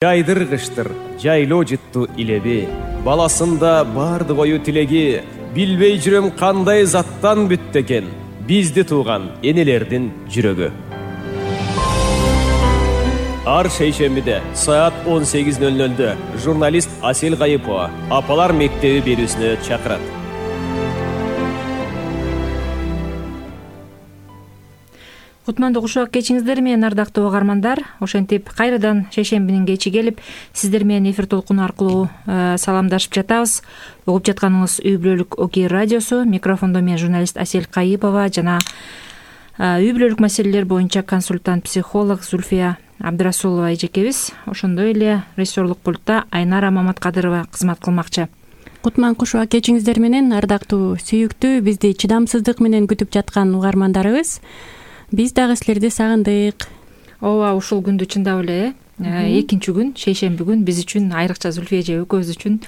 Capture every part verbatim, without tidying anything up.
Жайдыр-кыштыр, жайлоо жытту илеби, баласында барды кою тилеги, билбей жүрөм кандай заттан бүттү экен, бизди тууган энелердин жүрөгү. Ар шейшембиде саат он сегиз ноль нольдө журналист Асель Кайыпова апалар мектеби берүүсүнө чакырат. Кутмандуу кушак кечиңиздер менен, ардактуу угармандар. Ошентип кайрадан шейшембинин кечи келип, сиздер менен эфир толкуну аркылуу саламдашып жатабыз. Угуп жатканыңыз үй бүлөлүк Окей радиосу. Микрофондо мен журналист Асель Кайыпова жана үй бүлөлүк маселелер боюнча консультант психолог Зульфия Абдрасулова эжекебиз. Ошондой эле режиссерлук пультта Айнара Маматкадырова кызмат кылмакчы. Кутман кушак кечиңиздер менен, ардактуу сүйүктүү, бизди чыдамсыздык менен күтүп жаткан угармандарыбыз. Биз дагы силерди сагындык. Ооба, ушул күндү чындап эле экинчи күн, шейшемби күн биз үчүн, айрыкча Зульфия эже экөөбүз үчүн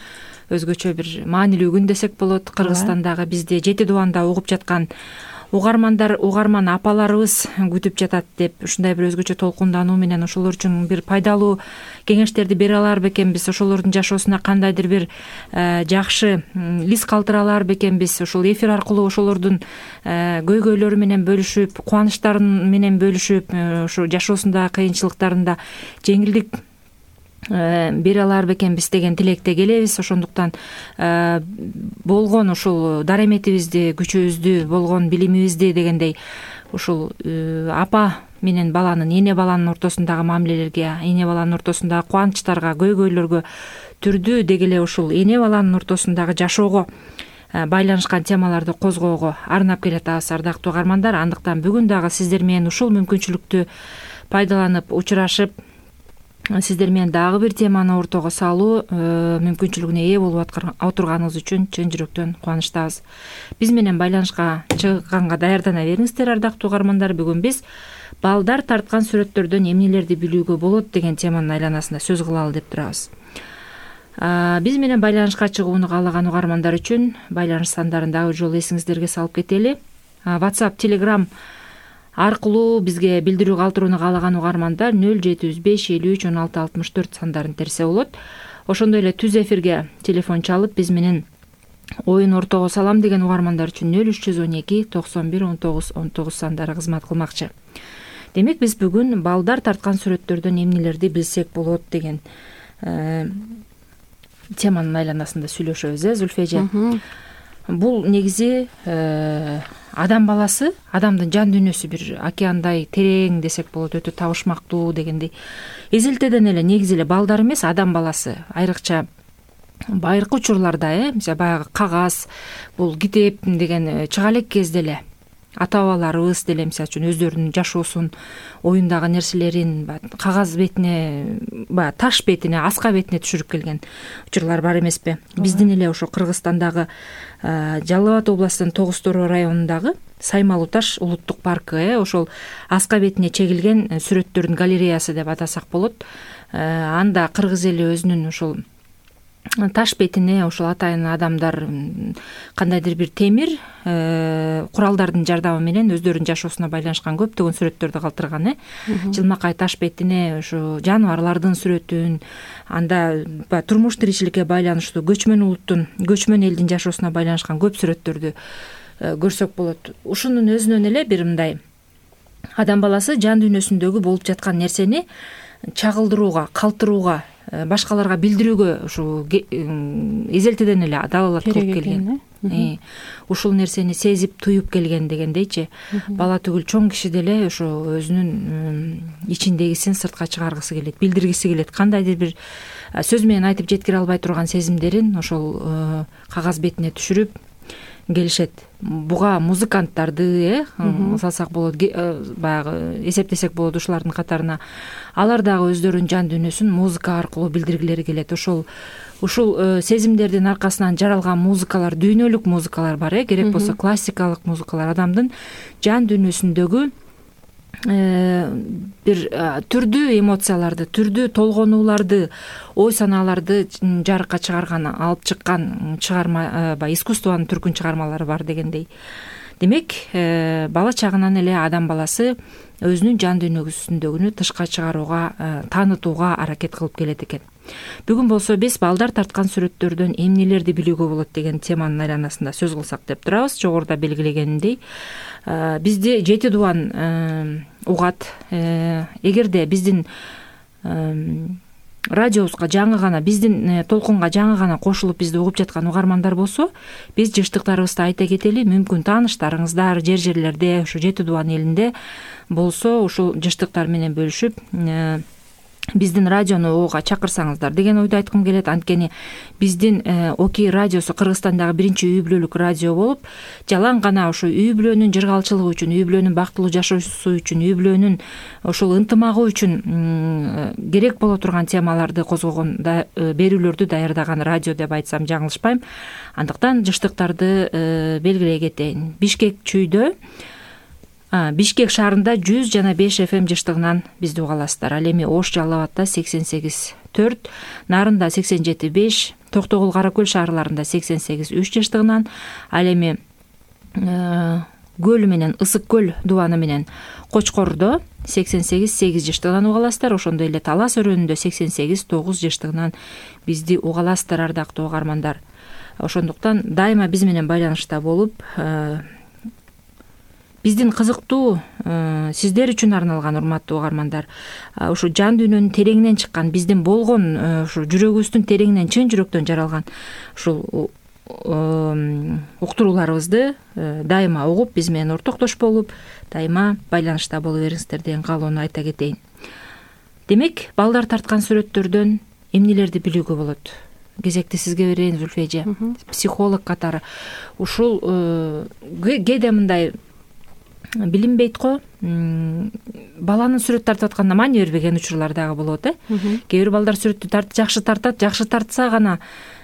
өзгөчө бир маанилүү күн десек болот. Кыргызстандагы бизди жети дубанда угуп жаткан угармандар, угарман апаларыбыз күтүп жатат деп ушундай бир өзгөчө толкундануу менен ошолор үчүн бир пайдалуу кеңештерди бере алар бекенбиз, ошолордун жашоосуна кандайдыр бир жакшы из калтыра алар бекенбиз. Ошол эфир аркылуу ошолордун көйгөйлөрү менен бөлүшүп, кубанычтарын менен бөлүшүп, ошо жашоосундагы кыйынчылыктарында жеңилдик бере алар бекенбиз деген тилекте келебиз. Ошондуктан болгон ушул дараметибизди, күчүбүздү, болгон билимибизди дегендей ушул апа менен баланын, эне баланын ортосундагы мамилелерге, эне баланын ортосундагы кубанычтарга, көйгөйлөргө түрдүү деги эле ушул эне баланын ортосундагы жашоого байланышкан темаларды козгоого арнап келатабыз, ардактуу угармандар. Андыктан бүгүн дагы сиздер менен ушул мүмкүнчүлүктү пайдаланып, учурашып, сиздер менен дагы бир теманы ортого салуу мүмкүнчүлүгүнө ээ болуп отурганыңыз үчүн чын жүрөктөн кубанычтабыз. Биз менен байланышка чыганга даярдана бериңиздер, ардактуу угармандар. Бүгүн биз балдар тарткан сүрөттөрдөн эмнелерди билүүгө болот деген теманын айланасында сөз кылалы деп турабыз. Биз менен байланышка чыгууну каалаган угармандар үчүн байланыш сандарын дагы жолу эсиңиздерге салып кетели. WhatsApp, Telegram аркылуу бизге билдирүү калтырууну каалаган угармандар нөл жети жүз беш элүү үч он алты алтымыш төрт сандарын терсе болот. Ошондой эле түз эфирге телефон чалып биз менен оюн ортого салам деген угармандар үчүн нөл үч жүз он эки токсон бир он тогуз он тогуз сандары кызмат кылмакчы. Демек биз бүгүн балдар тарткан сүрөттөрдөн эмнелерди билсек болот деген теманын айланасында сүйлөшөбүз, э, Зульфия эже. Бул негизи адам баласы, адамдын жан дүйнөсү бир океандай терең десек болот, өтө табышмактуу дегендей. Эзелтеден эле негизи эле балдар эмес, адам баласы айрыкча байыркы учурларда, э, мисалы баягы кагаз, бул китеп деген чыга элек кезде эле ата бабаларыбыз деле мисалы үчүн өздөрүнүн жашоосун, оюндагы нерселерин кагаз бетине, баягы таш бетине, аска бетине түшүрүп келген учурлар бар эмеспи? Биздин эле ошо Кыргызстандагы Жалал Абад областынын Тогуз Тороо районундагы Саймалуу таш улуттук паркы, э, ошол аска бетине чегилген сүрөттөрдүн галереясы деп атасак болот. Анда кыргыз эли өзүнүн ошол таш бетине ошол атайын адамдар кандайдыр бир темир куралдардын жардамы менен өздөрүнүн жашоосуна байланышкан көптөгөн сүрөттөрдү калтырган, э. Жылмакай таш бетине ошо жаныбарлардын сүрөтүн, анда турмуш тиричиликке байланыштуу көчмөн улуттун, көчмөн элдин жашоосуна байланышкан көп сүрөттөрдү көрсөк болот. Ушунун өзүнөн эле бир мындай адам баласы жан дүйнөсүндөгү болуп жаткан нерсени чагылдырууга, калтырууга, башкаларга билдирүүгө ушу эзелтеден эле далалат кылып келген. Ушул нерсени сезип, туюп келген дегендейчи. Бала түгүл чоң киши деле ошо өзүнүн ичиндегисин сыртка чыгаргысы келет, билдиргиси келет. Кандайдыр бир сөз менен айтып жеткире албай турган сезимдерин ошол кагаз бетине түшүрүп келишет. Буга музыканттарды, э, салсак болот, баягы эсептесек болот ушулардын катарына. Алар дагы өздөрүнүн жан дүйнөсүн музыка аркылуу билдиргилери келет. Ошол ушул сезимдердин аркасынан жаралган музыкалар, дүйнөлүк музыкалар бар, э, керек болсо классикалык музыкалар адамдын жан дүйнөсүндөгү бир түрдүү эмоцияларды, түрдүү толгонууларды, ой санааларды жарыкка чыгарган, алып чыккан чыгарма, искусствонун түркүн чыгармалары бар дегендей. демек бала чагынан эле адам баласы өзүнүн жан дүйнөсүндөгүнү тышка чыгарууга, таанытууга аракет кылып келет экен. Бүгүн болсо биз балдар тарткан сүрөттөрдөн эмнелерди билүүгө болот деген теманын айланасында сөз кылсак деп турабыз. Жогоруда белгилегенimдей, бизди жети дубан угат. Эгерде биздин радиобузга жаңы гана, биздин толкунга жаңы гана кошулуп бизди угуп жаткан угармандар болсо, биз жыштыктарыбызды айта кетели. Мүмкүн тааныштарыңыздар жер жерлерде, ушу жети дубан элинде болсо, ушул жыштыктар менен бөлүшүп биздин радиону угууга чакырсаңыздар деген ойду айткым келет. Анткени биздин Окей радиосу Кыргызстандагы биринчи үй бүлөлүк радио болуп, жалаң гана ушу үй бүлөнүн жыргалчылыгы үчүн, үй бүлөнүн бактылуу жашоосу үчүн, үй бүлөнүн ушул ынтымагы үчүн керек боло турган темаларды козгогон, берүүлөрдү даярдаган радио деп айтсам жаңылышпайм. Андыктан жыштыктарды белгилей кетейин. Бишкек чүйдө, Бишкек шаарында жүз жана беш эф эм жыштыгынан бизди угаласыздар. Ал эми Ош Жалал Абадта сексен сегиз төрт, Нарында сексен жети беш, Токтогул, Кара Көл шаарларында сексен сегиз үч жыштыгынан, ал эми Көлү менен Ысык Көл дубаны менен Кочкордо сексен сегиз сегиз жыштыгынан угаласыздар. Ошондой эле Талас өрөөнүндө сексен сегиз тогуз жыштыгынан бизди угаласыздар, ардактуу угармандар. Ошондуктан дайыма биз менен байланышта болуп, биздин кызыктуу сиздер үчүн арналган урматтуу угармандар, ушу жан дүйнөнүн тереңинен чыккан, биздин болгон ушу жүрөгүбүздүн тереңинен, чын жүрөктөн жаралган ушул уктурууларыбызды дайыма угуп, биз менен ортоктош болуп, дайыма байланышта боло бериңиздер деген каалоону айта кетейин. Демек, балдар тарткан сүрөттөрдөн эмнелерди билүүгө болот? Кезекти сизге берейин, Зүлфия эже. Психолог катары ушул кээде мындай билинбейт го, баланын сүрөт тартып атканда маани бербеген учурлар дагы болот, э? Кээ бир балдар сүрөттү тарт, жакшы тартат, жакшы тартса гана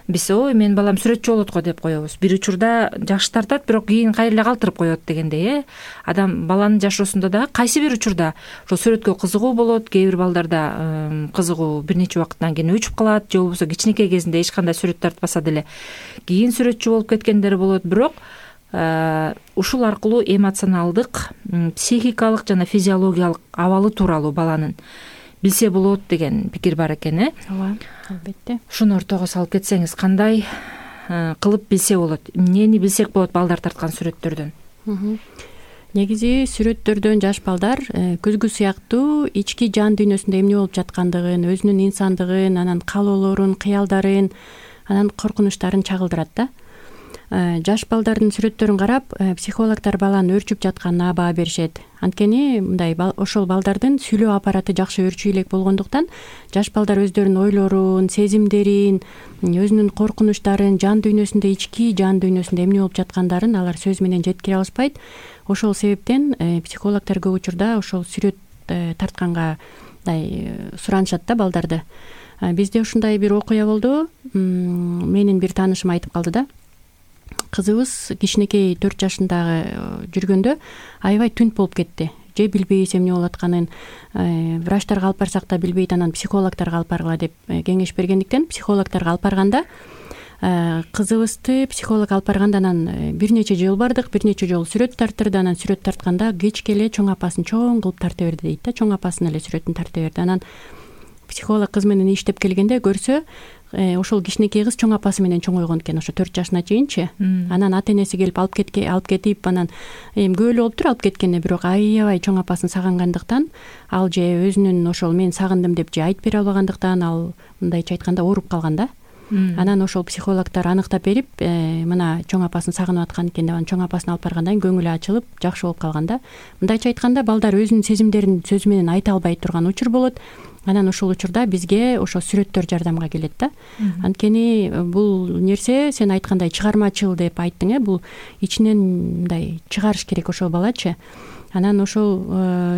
биз ой, менин балам сүрөтчү болот го деп коебуз. Бир учурда жакшы тартат, бирок кийин кайра эле калтырып коет дегендей, э? Адам баланын жашоосунда дагы кайсы бир учурда ошол сүрөткө кызыгуу болот, кээ бир балдарда кызыгуу бир нече убакыттан кийин өчүп калат, же болбосо кичинекей кезинде эч кандай сүрөт тартпаса деле кийин сүрөтчү болуп кеткендер болот. Бирок ушул аркылуу эмоционалдык, психикалык жана физиологиялык абалы тууралуу баланын билсе болот деген пикир бар экен, э? Ооба, албетте. Ушуну ортого салып кетсеңиз, кандай кылып билсе болот? Эмнени билсек болот балдар тарткан сүрөттөрдөн? Негизи сүрөттөрдөн жаш балдар көзгү сыяктуу ички жан дүйнөсүндө эмне болуп жаткандыгын, өзүнүн инсандыгын, анан каалоолорун, кыялдарын, анан коркунучтарын чагылдырат да. Жаш балдардын сүрөттөрүн карап, психологдор баланын өөрчүп жатканына баа беришет. Анткени мындай ошол балдардын сүйлөө аппараты жакшы өөрчүү элек болгондуктан, жаш балдар өздөрүнүн ойлорун, сезимдерин, өзүнүн коркунучтарын, жан дүйнөсүндө, ички жан дүйнөсүндө эмне болуп жаткандарын алар сөз менен жеткире алышпайт. Ошол себептен психологдор көп учурда ошол сүрөт тартканга суранышат да балдарды. Бизде ушундай бир окуя болду. Менин бир таанышым айтып калды да. Кызыбыз кичинекей төрт жашындагы жүргөндө аябай түнт болуп кетти. Же билбейбиз эмне болуп атканын, врачтарга алып барсак да билбейт, анан психологдорго алып баргыла деп кеңеш бергендиктен психологдорго алып барганда, кызыбызды психолог алып барганда анан бир нече жолу бардык, бир нече жолу сүрөт тарттырды. Анан сүрөт тартканда кечке эле чоң апасын чоң кылып тарта берди дейт да. Чоң апасынын эле сүрөтүн тарта берди. Анан психолог кыз менен иштеп келгенде көрсө, ошол кичинекей кыз чоң апасы менен чоңойгон экен, ошо төрт жашына чейинчи. Анан ата энеси келип алып кетке, алып кетип, анан эми көп эле болуптур алып кеткенде, бирок аябай чоң апасын сагынгандыктан, ал же өзүнүн ошол мен сагындым деп же айтып бере албагандыктан, ал мындайча айтканда ооруп калган да. Анан ошол психологдор аныктап берип, мына чоң апасын сагынып аткан экен деп, анан чоң апасын алып баргандан кийин көңүлү ачылып, жакшы болуп калган да. Мындайча айтканда, балдар өзүнүн сезимдерин сөз менен айта албай турган учур болот. Анан ошол учурда бизге ошо сүрөттөр жардамга келет да. Анткени бул нерсе сен айткандай чыгармачыл деп айттың, э, бул ичинен мындай чыгарыш керек ошол балачы. Анан ошол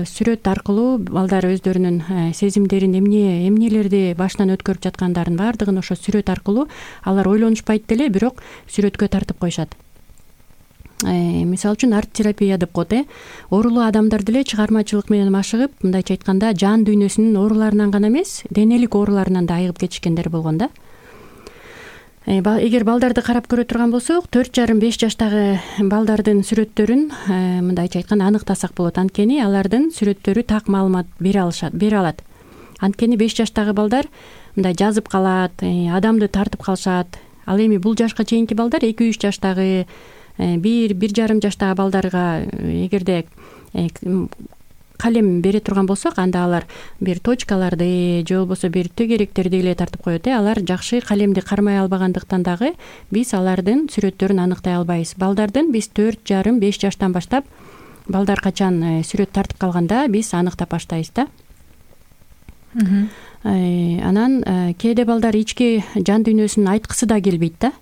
сүрөт аркылуу балдар өздөрүнүн сезимдерин, эмне эмнелерди башынан өткөрүп жаткандарын баардыгын ошо сүрөт аркылуу алар ойлонушпайт деле, бирок сүрөткө тартып коюшат. Мисалы үчүн арт терапия деп коет, э. Оорулуу адамдар деле чыгармачылык менен машыгып, мындайча айтканда, жан дүйнөсүнүн ооруларынан гана эмес, денелик ооруларынан да айыгып кетишкендер болгон да. Эгер балдарды карап көрө турган болсок, төрт жарым беш жаштагы балдардын сүрөттөрүн мындайча айтканда аныктасак болот. Анткени алардын сүрөттөрү так маалымат бере алышат, бере алат. Анткени беш жаштагы балдар мындай жазып калат, адамды тартып калышат. Ал эми бул жашка чейинки балдар эки үч жаштагы, бир бир жарым жаштагы балдарга эгерде калем бере турган болсок, анда алар бир точкаларды же болбосо бир төгеректерди эле тартып коет. Алар жакшы калемди кармай албагандыктан дагы биз алардын сүрөттөрүн аныктай албайбыз. Балдардын биз төрт жарым беш жаштан баштап балдар качан сүрөт тартып калганда биз аныктап баштайбыз да. Анан кээде балдар ички жан дүйнөсүн айткысы да келбейт да.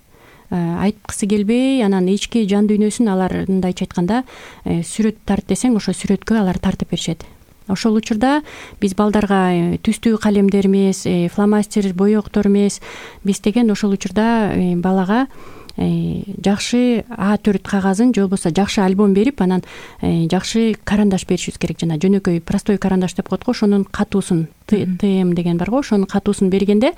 Айткысы келбей, анан ички жан дүйнөсүн алар мындайча айтканда сүрөт тарт десең, ошо сүрөткө алар тартып беришет. Ошол учурда биз балдарга түстүү калемдер эмес, фломастер, боектор эмес, биз деген ошол учурда балага жакшы А төрт кагазын же болбосо жакшы альбом берип, анан жакшы карандаш беришибиз керек. Жана жөнөкөй простой карандаш деп коет го, ошонун катуусун, ТМ деген бар го, ошонун катуусун бергенде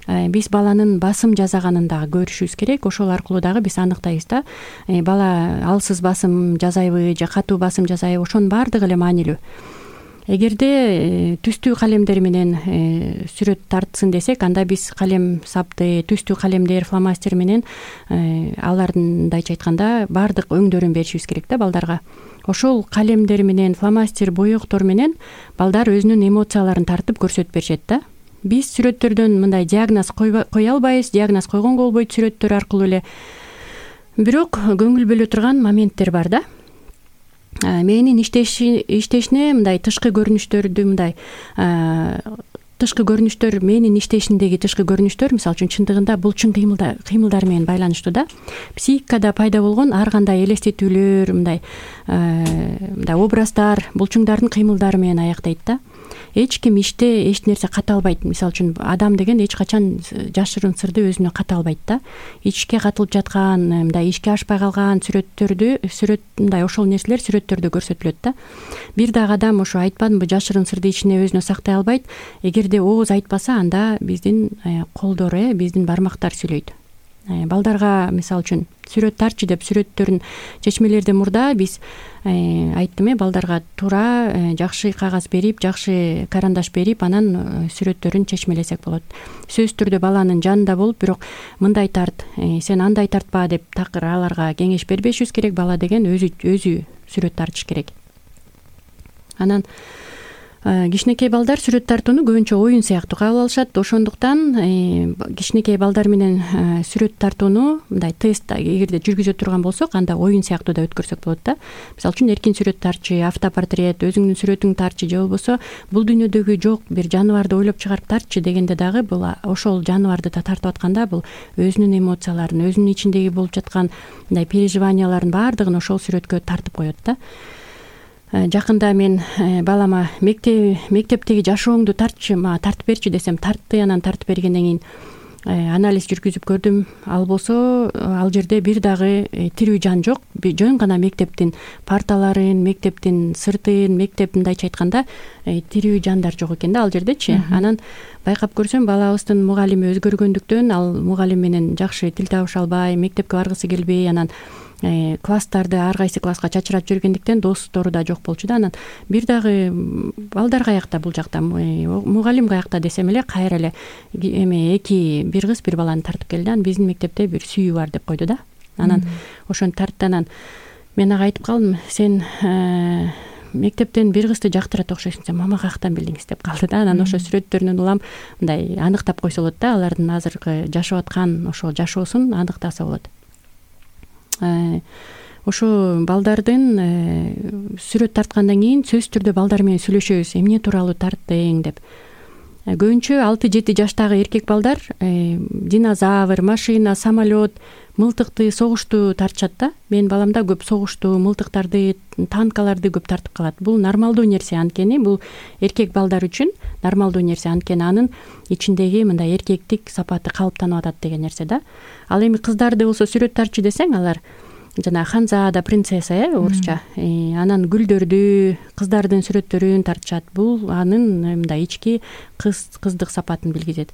биз баланын басым жасаганын дагы көрүшүбүз керек. Ошол аркылуу дагы биз аныктайбыз да. Бала алсыз басым жасайбы же катуу басым жасайбы, ошонун баардыгы эле маанилүү. Эгерде түстүү калемдер менен сүрөт тартсын десек, анда биз калем сапты, түстүү калемдер, фломастер менен алардын мындайча айтканда баардык өңдөрүн беришибиз керек да балдарга. Ошол калемдер менен, фломастер, боектор менен балдар өзүнүн эмоцияларын тартып көрсөтүп беришет да. Биз сүрөттөрдөн мындай диагноз кое албайбыз, диагноз койгонго болбойт сүрөттөр аркылуу эле. Бирок көңүл бөлө турган моменттер бар да. Мээнин иштешине мындай тышкы көрүнүштөрдү мындай тышкы көрүнүштөр, мээнин иштешиндеги тышкы көрүнүштөр, мисалы үчүн чындыгында булчуң кыймылдар менен байланыштуу да. Психикада пайда болгон ар кандай элестетүүлөр, мындай мындай образдар булчуңдардын кыймылдары менен аяктайт да. Эч ким иште эч нерсе ката албайт. Мисалы үчүн адам деген эч качан жашырын сырды өзүнө ката албайт да. Ичке катылып жаткан, мындай ишке ашпай калган сүрөттөрдү, сүрөт мындай ошол нерселер сүрөттөрдө көрсөтүлөт да. Бир дагы адам ошо айтпадымбы, жашырын сырды ичине өзүнө сактай албайт. Эгерде ооз айтпаса, анда биздин колдор, э, биздин бармактар сүйлөйт. Балдарга мисалы үчүн сүрөт тарчы деп сүрөттөрүн чечмелерден мурда биз айттым, э, балдарга туура жакшы кагаз берип, жакшы карандаш берип, анан сүрөттөрүн чечмелесек болот. Сөзсүз түрдө баланын жанында болуп, бирок мындай тарт, сен андай тартпа деп такыр аларга кеңеш бербешибиз керек. Бала деген өзү өзү сүрөт тартыш керек. Анан кичинекей балдар сүрөт тартууну көбүнчө оюн сыяктуу кабыл алышат. Ошондуктан кичинекей балдар менен сүрөт тартууну мындай тест эгерде жүргүзө турган болсок, анда оюн сыяктуу да өткөрсөк болот да. Мисалы үчүн эркин сүрөт тарчы, автопортрет, өзүңдүн сүрөтүңдү тарчы, же болбосо бул дүйнөдөгү жок бир жаныбарды ойлоп чыгарып тарчы дегенде дагы бул ошол жаныбарды да тартып атканда бул өзүнүн эмоцияларын, өзүнүн ичиндеги болуп жаткан мындай переживанияларын баардыгын ошол сүрөткө тартып коет да. Жакында мен балама мектеп мектептеги жашооңду тартчы, мага тартып берчи десем, тартты. Анан тартып бергенден кийин анализ жүргүзүп көрдүм. Ал болсо ал жерде бир дагы тирүү жан жок. Жөн гана мектептин парталарын, мектептин сыртын, мектеп мындайча айтканда тирүү жандар жок экен да ал жердечи. Анан байкап көрсөм, балабыздын мугалими өзгөргөндүктөн ал мугалим менен жакшы тил табыша албай, мектепке баргысы келбей, анан класстарды ар кайсы класска чачырап жүргөндүктөн достору да жок болчу да. Анан бир дагы балдар каякта бул жакта, мугалим каякта десем эле, кайра эле эме эки бир кыз бир баланы тартып келди. Анан биздин мектепте бир сүйүү бар деп койду да. Анан ошону тартты. Анан мен ага айтып калдым, сен мектептен бир кызды жактырат окшойсуң, сен мама каяктан билдиңиз деп калды да. Анан ошо сүрөттөрүнөн улам мындай аныктап койсо болот да, алардын азыркы жашап аткан ошол жашоосун аныктаса болот. Ошо балдардын сүрөт тарткандан кийин сөзсүз түрдө балдар менен сүйлөшөбүз, эмне тууралуу тарттың деп. Көбүнчө алты жети жаштагы эркек балдар динозавр, машина, самолет, мылтыкты, согушту тартышат да. Менин балам да көп согушту, мылтыктарды, танкаларды көп тартып калат. Бул нормалдуу нерсе, анткени бул эркек балдар үчүн нормалдуу нерсе, анткени анын ичиндеги мындай эркектик сапаты калыптанып атат деген нерсе да. Ал эми кыздарды болсо сүрөт тарчы десең, алар жана ханзада, принцесса, э, орусча. Анан гүлдөрдү, кыздардын сүрөттөрүн тартышат. Бул анын мындай ички кыз кыздык сапатын билгизет.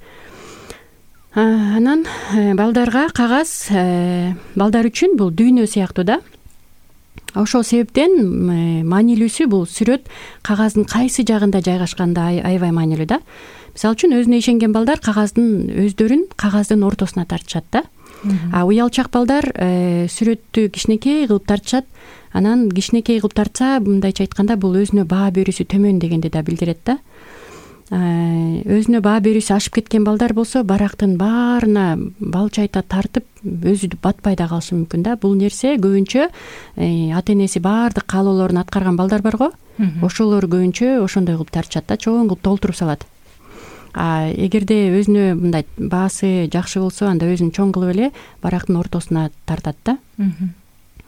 Анан балдарга кагаз балдар үчүн бул дүйнө сыяктуу да. Ошол себептен маанилүүсү бул сүрөт кагаздын кайсы жагында жайгашканда аябай маанилүү да. Мисалы үчүн өзүнө ишенген балдар кагаздын өздөрүн кагаздын ортосуна тартышат да. А уялчак балдар сүрөттү кичинекей кылып тартышат. Анан кичинекей кылып тартса, мындайча айтканда, бул өзүнө баа берүүсү төмөн дегенди да билдирет да. Өзүнө баа берүүсү ашып кеткен балдар болсо, барактын баарына балчайта тартып, өзү батпай да калышы мүмкүн да. Бул нерсе көбүнчө ата энеси баардык каалоолорун аткарган балдар барго, ошолор көбүнчө ошондой кылып тартышат да, чоң кылып толтуруп салат. А эгерде өзүнө мындай баасы жакшы болсо, анда өзүн чоң кылып эле барактын ортосуна тартат да.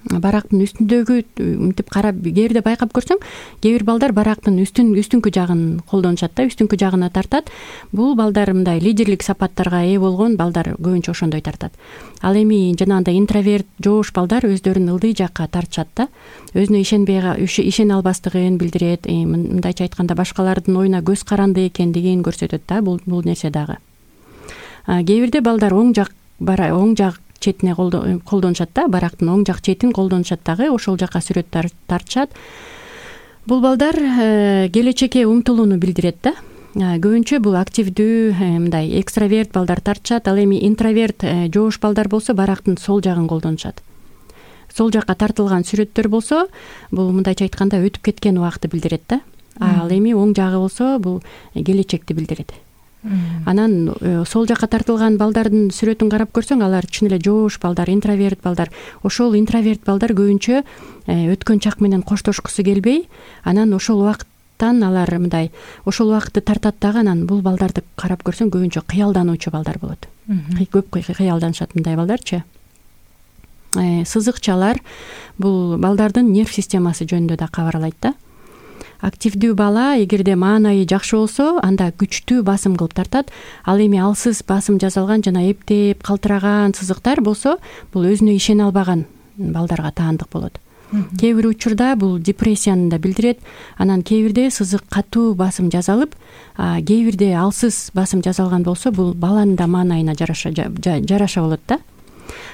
Барактын үстүндөгү мынтип карап, кээбирде байкап көрсөң, кээ бир балдар барактын үстүн үстүнкү жагын колдонушат да, үстүнкү жагына тартат. Бул балдар мындай лидерлик сапаттарга ээ болгон балдар көбүнчө ошондой тартат. Ал эми жанагындай интроверт, жоош балдар өздөрүн ылдый жакка тартышат да. Өзүнө ишенбей ишене албастыгын билдирет, мындайча айтканда башкалардын оюна көз каранды экендигин көрсөтөт да бул бул нерсе дагы. Кээ бирде балдар оң жак бара оң жак четине колдонушат да, барактын оң жак четин колдонушат дагы, ошол жакка сүрөт тартышат. Бул балдар келечекке умтулууну билдирет да. Көбүнчө бул активдүү, мындай экстраверт балдар тартышат. Ал эми интроверт, жоош балдар болсо барактын сол жагын колдонушат. Сол жакка тартылган сүрөттөр болсо, бул мындайча айтканда өтүп кеткен убакытты билдирет да. Ал эми оң жагы болсо, бул келечекти билдирет. Анан сол жакка тартылган балдардын сүрөтүн карап көрсөң, алар чын эле жоош балдар, интроверт балдар. Ошол интроверт балдар көбүнчө өткөн чак менен коштошкусу келбей, анан ошол убакыттан алар мындай ошол убакытты тартат дагы. Анан бул балдарды карап көрсөң, көбүнчө кыялдануучу балдар болот. Көп кыялданышат мындай балдарчы. Сызыкчалар бул балдардын нерв системасы жөнүндө да кабарлайт да. Активдүү бала эгерде маанайы жакшы болсо, анда күчтүү басым кылып тартат. Ал эми алсыз басым жасалган жана эптеп калтыраган сызыктар болсо, бул өзүнө ишене албаган балдарга таандык болот. Кээ бир учурда бул депрессияны да билдирет. Анан кээ бирде сызык катуу басым жасалып, кээ бирде алсыз басым жасалган болсо, бул баланын да маанайына жараша жараша болот да.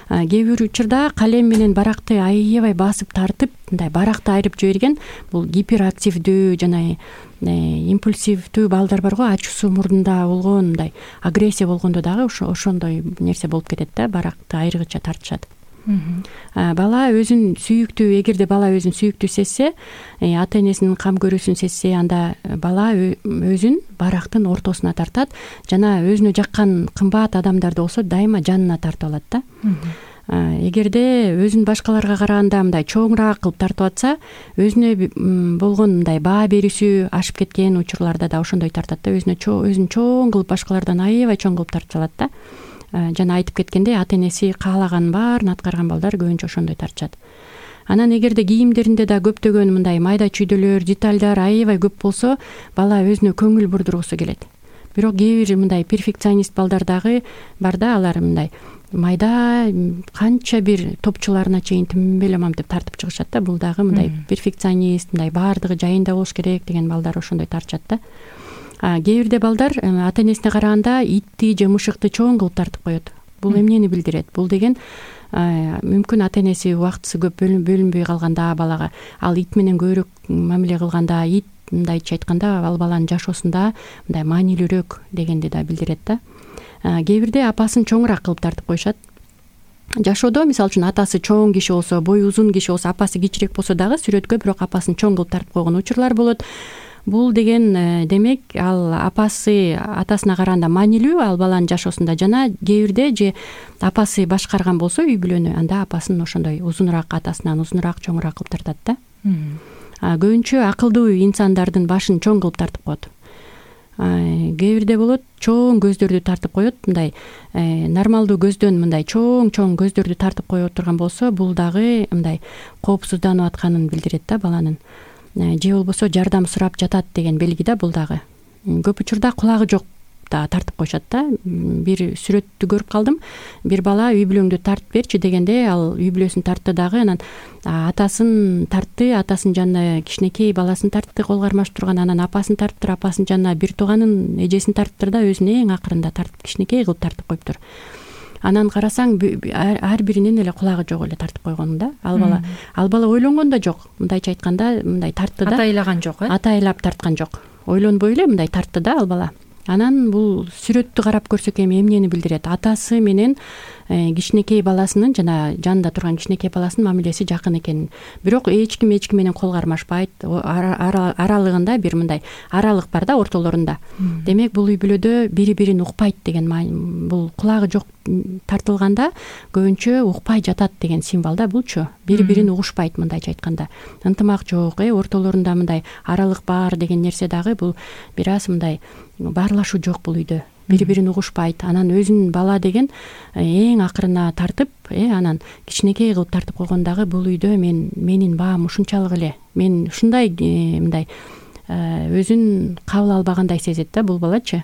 Кээ бир учурда калем менен баракты аябай басып тартып, мындай баракты айрып жиберген, бул гиперактивдүү жана импульсивдүү балдар барго, ачуусу мурдунда болгон, мындай агрессия болгондо дагы ошондой нерсе болуп кетет да, баракты айргыча тартышат. Бала өзүн сүйүктүү, эгерде бала өзүн сүйүктүү сезсе, ата энесинин кам көрүүсүн сезсе, анда бала өзүн барактын ортосуна тартат, жана өзүнө жаккан кымбат адамдарды болсо дайыма жанына тартып алат да. Эгерде өзүн башкаларга караганда мындай чоңураак кылып тартып атса, өзүнө болгон мындай баа берүүсү ашып кеткен учурларда да ошондой тартат да, өзүнө өзүн чоң кылып башкалардан аябай чоң кылып тартып алат да. Жана айтып кеткендей, ата энеси каалаган баарын аткарган балдар көбүнчө ошондой тартышат. Анан эгерде кийимдеринде да көптөгөн мындай майда чүйдөлөр, детальдар аябай көп болсо, бала өзүнө көңүл бурдургусу келет. Бирок кээ бир мындай перфекционист балдар дагы бар да, алар мындай майда канча бир топчуларына чейин тимбелемам деп тартып чыгышат да. Бул дагы мындай перфекционист, мындай баардыгы жайында болуш керек деген балдар ошондой тартышат да. Кээ бирде балдар ата энесине караганда итти же мышыкты чоң кылып тартып коет. Бул эмнени билдирет? Бул деген мүмкүн ата энеси убактысы көп бөлүнбөй калганда балага, ал ит менен көбүрөөк мамиле кылганда, ит мындайча айтканда ал баланын жашоосунда мындай маанилүүрөөк дегенди да билдирет да. Кээ бирде апасын чоңураак кылып тартып коюшат. Жашоодо мисалы үчүн атасы чоң киши болсо, бою узун киши болсо, апасы кичирээк болсо дагы сүрөткө бирок апасын чоң кылып тартып койгон учурлар болот. Бул деген демек ал апасы атасына караганда маанилүү ал баланын жашоосунда, жана кээ бирде же апасы башкарган болсо үй бүлөнү, анда апасын ошондой узунураак, атасынан узунураак, чоңураак кылып тартат да. Көбүнчө акылдуу инсандардын башын чоң кылып тартып коет. Кээ бирде болот чоң көздөрдү тартып коет, мындай нормалдуу көздөн мындай чоң-чоң көздөрдү тартып коюп турган болсо, бул дагы мындай коопсузданып атканын билдирет да баланын. Же болбосо жардам сурап жатат деген белги да бул дагы. Көп учурда кулагы жок дагы тартып коюшат да. Бир сүрөттү көрүп калдым. Бир бала үй бүлөңдү тартып берчи дегенде ал үй бүлөсүн тартты дагы, анан атасын тартты, атасынын жанына кичинекей баласын тартты, кол кармашып турган, анан апасын тартыптыр, апасынын жанына бир тууганын эжесин тартыптыр да, өзүн эң акырында тартып кичинекей кылып тартып коюптур. Анан карасаң ар биринин эле кулагы жок эле тартып койгон да. Ал бала ал бала ойлонгон да жок. Мындайча айтканда, мындай тартты да. Атайлаган жок, э? Атайлап тарткан жок. Ойлонбой эле мындай тартты да ал бала. Анан бул сүрөттү карап көрсөк эми эмнени билдирет? Атасы менен кичинекей баласынын жана жанында турган кичинекей баласынын мамилеси жакын экенин. Бирок эч ким эч ким менен кол кармашпайт. Аралыгында бир мындай аралык бар да ортолорунда. Демек бул үй бүлөдө бири-бирин укпайт деген маани. Бул кулагы жок тартылганда көбүнчө укпай жатат деген символ да булчу. Бири-бирин угушпайт мындайча айтканда. Ынтымак жок, э ортолорунда мындай аралык бар деген нерсе дагы бул бир аз мындай баарлашуу жок бул үйдө. Бири-бирин угушпайт. Анан өзүнүн бала деген эң акырына тартып, э анан кичинекей кылып тартып койгондагы бул үйдө мен менин баам ушунчалык эле. Мен ушундай мындай өзүн кабыл албагандай сезет да бул балачы.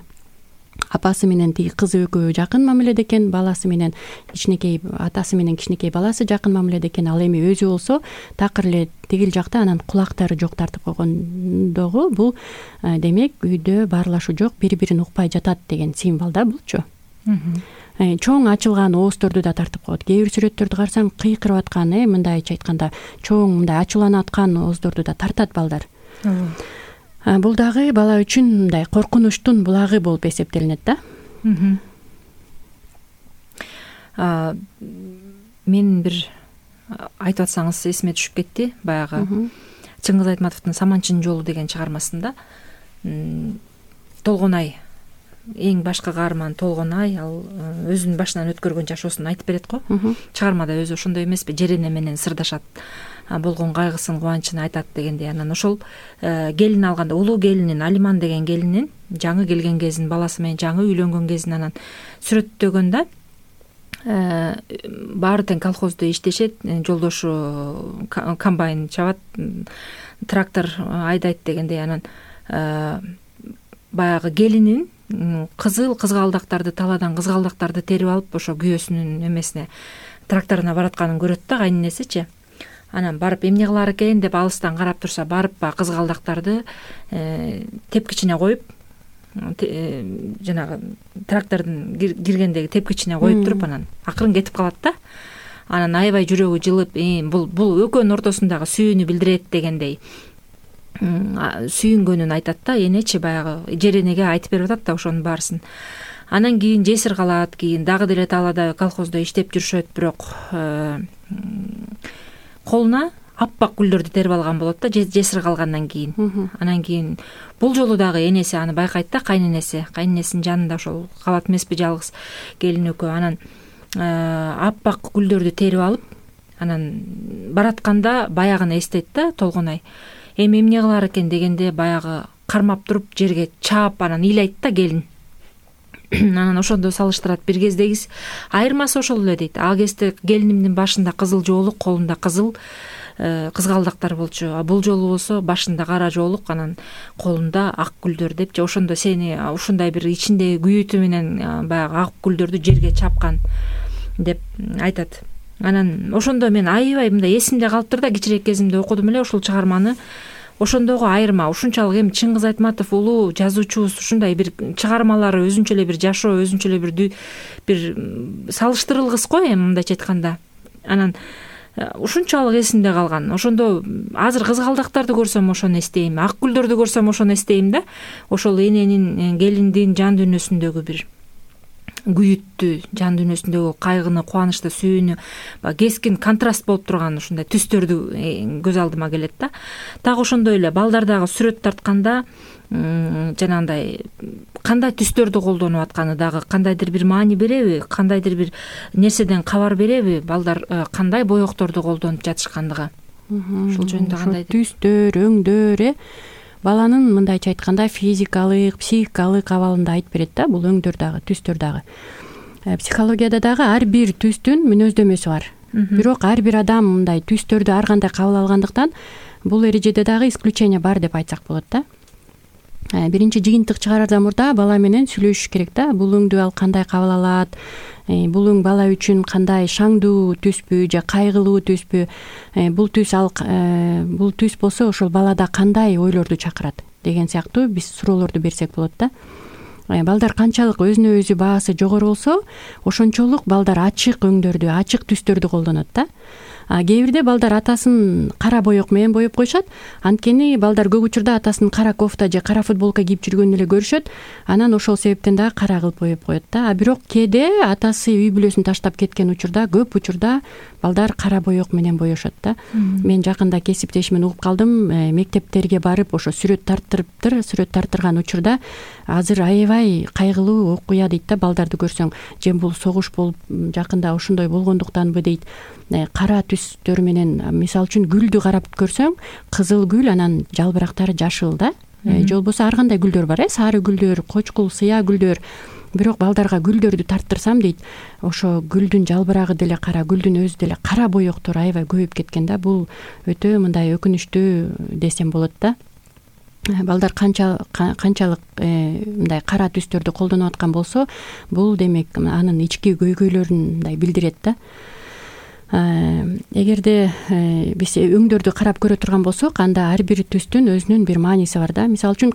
Апасы менен тиги кызы экөө жакын мамиледе экен, баласы менен кичинекей атасы менен кичинекей баласы жакын мамиледе экен. Ал эми өзү болсо такыр эле тигил жакта, анан кулактары жок тартып койгондогу бул демек үйдө баарлашуу жок, бири-бирин укпай жатат деген символ да булчу. Чоң ачылган оозторду да тартып коет. Кээ бир сүрөттөрдү карасаң кыйкырып аткан, э мындайча айтканда чоң мындай ачууланып аткан ооздорду да тартат балдар. Бул дагы бала үчүн мындай коркунучтун булагы болуп эсептелинет да. Мен бир айтып атсаңыз эсиме түшүп кетти. Баягы Чыңгыз Айтматовдун Саманчынын жолу деген чыгармасында Толгонай, эң башкы каарман Толгонай, ал өзүнүн башынан өткөргөн жашоосун айтып берет го. Чыгармада өзү ошондой эмеспи? Жерене менен сырдашат, болгон кайгысын, кубанычын айтат дегендей. Анан ошол келин алганда, улуу келинин, Алиман деген келинин жаңы келген кезин, баласы менен жаңы үйлөнгөн кезин анан сүрөттөгөндө баары тең колхоздо иштешет, жолдошу комбайн чабат, трактор айдайт дегендей. Анан баягы келинин кызыл кызгалдактарды, таладан кызгалдактарды терип алып, ошо күйөөсүнүн эмесине, тракторуна баратканын көрөт да кайненесичи. Анан барып эмне кылар экен деп алыстан карап турса, барып баягы кызгалдактарды тепкичине коюп, жанагы трактордун киргендеги тепкичине коюп туруп, анан акырын кетип калат да. Анан аябай жүрөгү жылып, бул бул экөөнүн ортосундагы сүйүүнү билдирет дегендей сүйүнгөнүн айтат да. Энечи баягы Жеренеге айтып берип атат да ошонун баарысын. Анан кийин жесир калат, кийин дагы деле талаада колхоздо иштеп жүрүшөт, бирок колуна аппак гүлдөрдү терип алган болот да, жесир калгандан кийин. Анан кийин бул жолу дагы энеси аны байкайт да, кайненеси, кайненесинин жанында ошол калат эмеспи жалгыз келин экөө. Анан аппак гүлдөрдү терип алып, анан баратканда баягыны эстейт да Толгонай. Эми эмне кылар экен дегенде баягы кармап туруп жерге чаап анан ыйлайт да келин. Анан ошондо салыштырат, бир кездеги айырмасы ошол эле дейт. Ал кезде келинимдин башында кызыл жоолук, колунда кызыл кызгалдактар болчу. А бул жолу болсо башында кара жоолук, анан колунда ак гүлдөр депчи. Ошондо сени ушундай бир ичиндеги күйүтү менен баягы ак гүлдөрдү жерге чапкан деп айтат. Анан ошондо мен аябай мындай эсимде калыптыр да, кичирээк кезимде окудум эле ушул чыгарманы. Ошондогу айырма ушунчалык эми Чыңгыз Айтматов улуу жазуучубуз, ушундай бир чыгармалары өзүнчө эле бир жашоо, өзүнчө эле бир бир салыштырылгыс го эми мындайча айтканда. Анан ушунчалык эсимде калган. Ошондо азыр кызгалдактарды көрсөм ошону эстейм, ак гүлдөрдү көрсөм ошону эстейм да. Ошол эненин, келиндин жан дүйнөсүндөгү бир күйүттү, жан дүйнөсүндөгү кайгыны, кубанычты, сүйүүнү кескин контраст болуп турган ушундай түстөрдү көз алдыма келет да. Так ошондой эле балдардагы сүрөт тартканда жанагындай кандай түстөрдү колдонуп атканы дагы кандайдыр бир маани береби, кандайдыр бир нерседен кабар береби, балдар кандай боекторду колдонуп жатышкандыгы. Ушул жөнүндө кандай түстөр, өңдөр, э баланын мындайча айтканда физикалык, психикалык абалында айтып берет да, бул өңдөр дагы, түстөр дагы. Психологияда дагы ар бир түстүн мүнөздөмөсү бар. Бирок ар бир адам мындай түстөрдү ар кандай кабыл алгандыктан бул эрежеде дагы исключение бар деп айтсак болот да. биринчи жыйынтык чыгарардан мурда бала менен сүйлөшүш керек да. Бул өңдү ал кандай кабыл алат, бул өң бала үчүн кандай шаңдуу түспү же кайгылуу түспү, бул түс ал бул түс болсо ошол балада кандай ойлорду чакырат деген сыяктуу биз суроолорду берсек болот да. Балдар канчалык өзүнө өзү баасы жогору болсо, ошончолук балдар ачык өңдөрдү, ачык түстөрдү колдонот да. А кээ бирде балдар атасын кара боек менен боеп коюшат. Анткени балдар көп учурда атасынын кара кофта же кара футболка кийип жүргөнүн эле көрүшөт. Анан ошол себептен дагы кара кылып боеп коет да. А бирок кээде атасы үй бүлөсүн таштап кеткен учурда, көп учурда балдар кара боек менен боешот да. Мен жакында кесиптешимен угуп калдым, мектептерге барып ошо сүрөт тарттырыптыр, сүрөт тарттырган учурда азыр аябай кайгылуу окуя дейт да. Балдарды көрсөң, же бул согуш болуп жакында ошондой болгондуктанбы дейт. Кара түстөр менен, мисалы үчүн гүлдү карап көрсөң, кызыл гүл, анан жалбырактары жашыл да. Же болбосо ар кандай гүлдөр бар, э сары гүлдөр, кочкул, сыя гүлдөр. Бирок балдарга гүлдөрдү тарттырсам дейт, ошо гүлдүн жалбырагы деле кара, гүлдүн өзү деле кара боектор аябай көбөйүп кеткен да. Бул өтө мындай өкүнүчтүү десем болот да. Балдар канча канчалык мындай кара түстөрдү колдонуп аткан болсо, бул демек анын ички көйгөйлөрүн мындай билдирет да. Эгерде биз өңдөрдү карап көрө турган болсок, анда ар бир түстүн өзүнүн бир мааниси бар да. Мисалы үчүн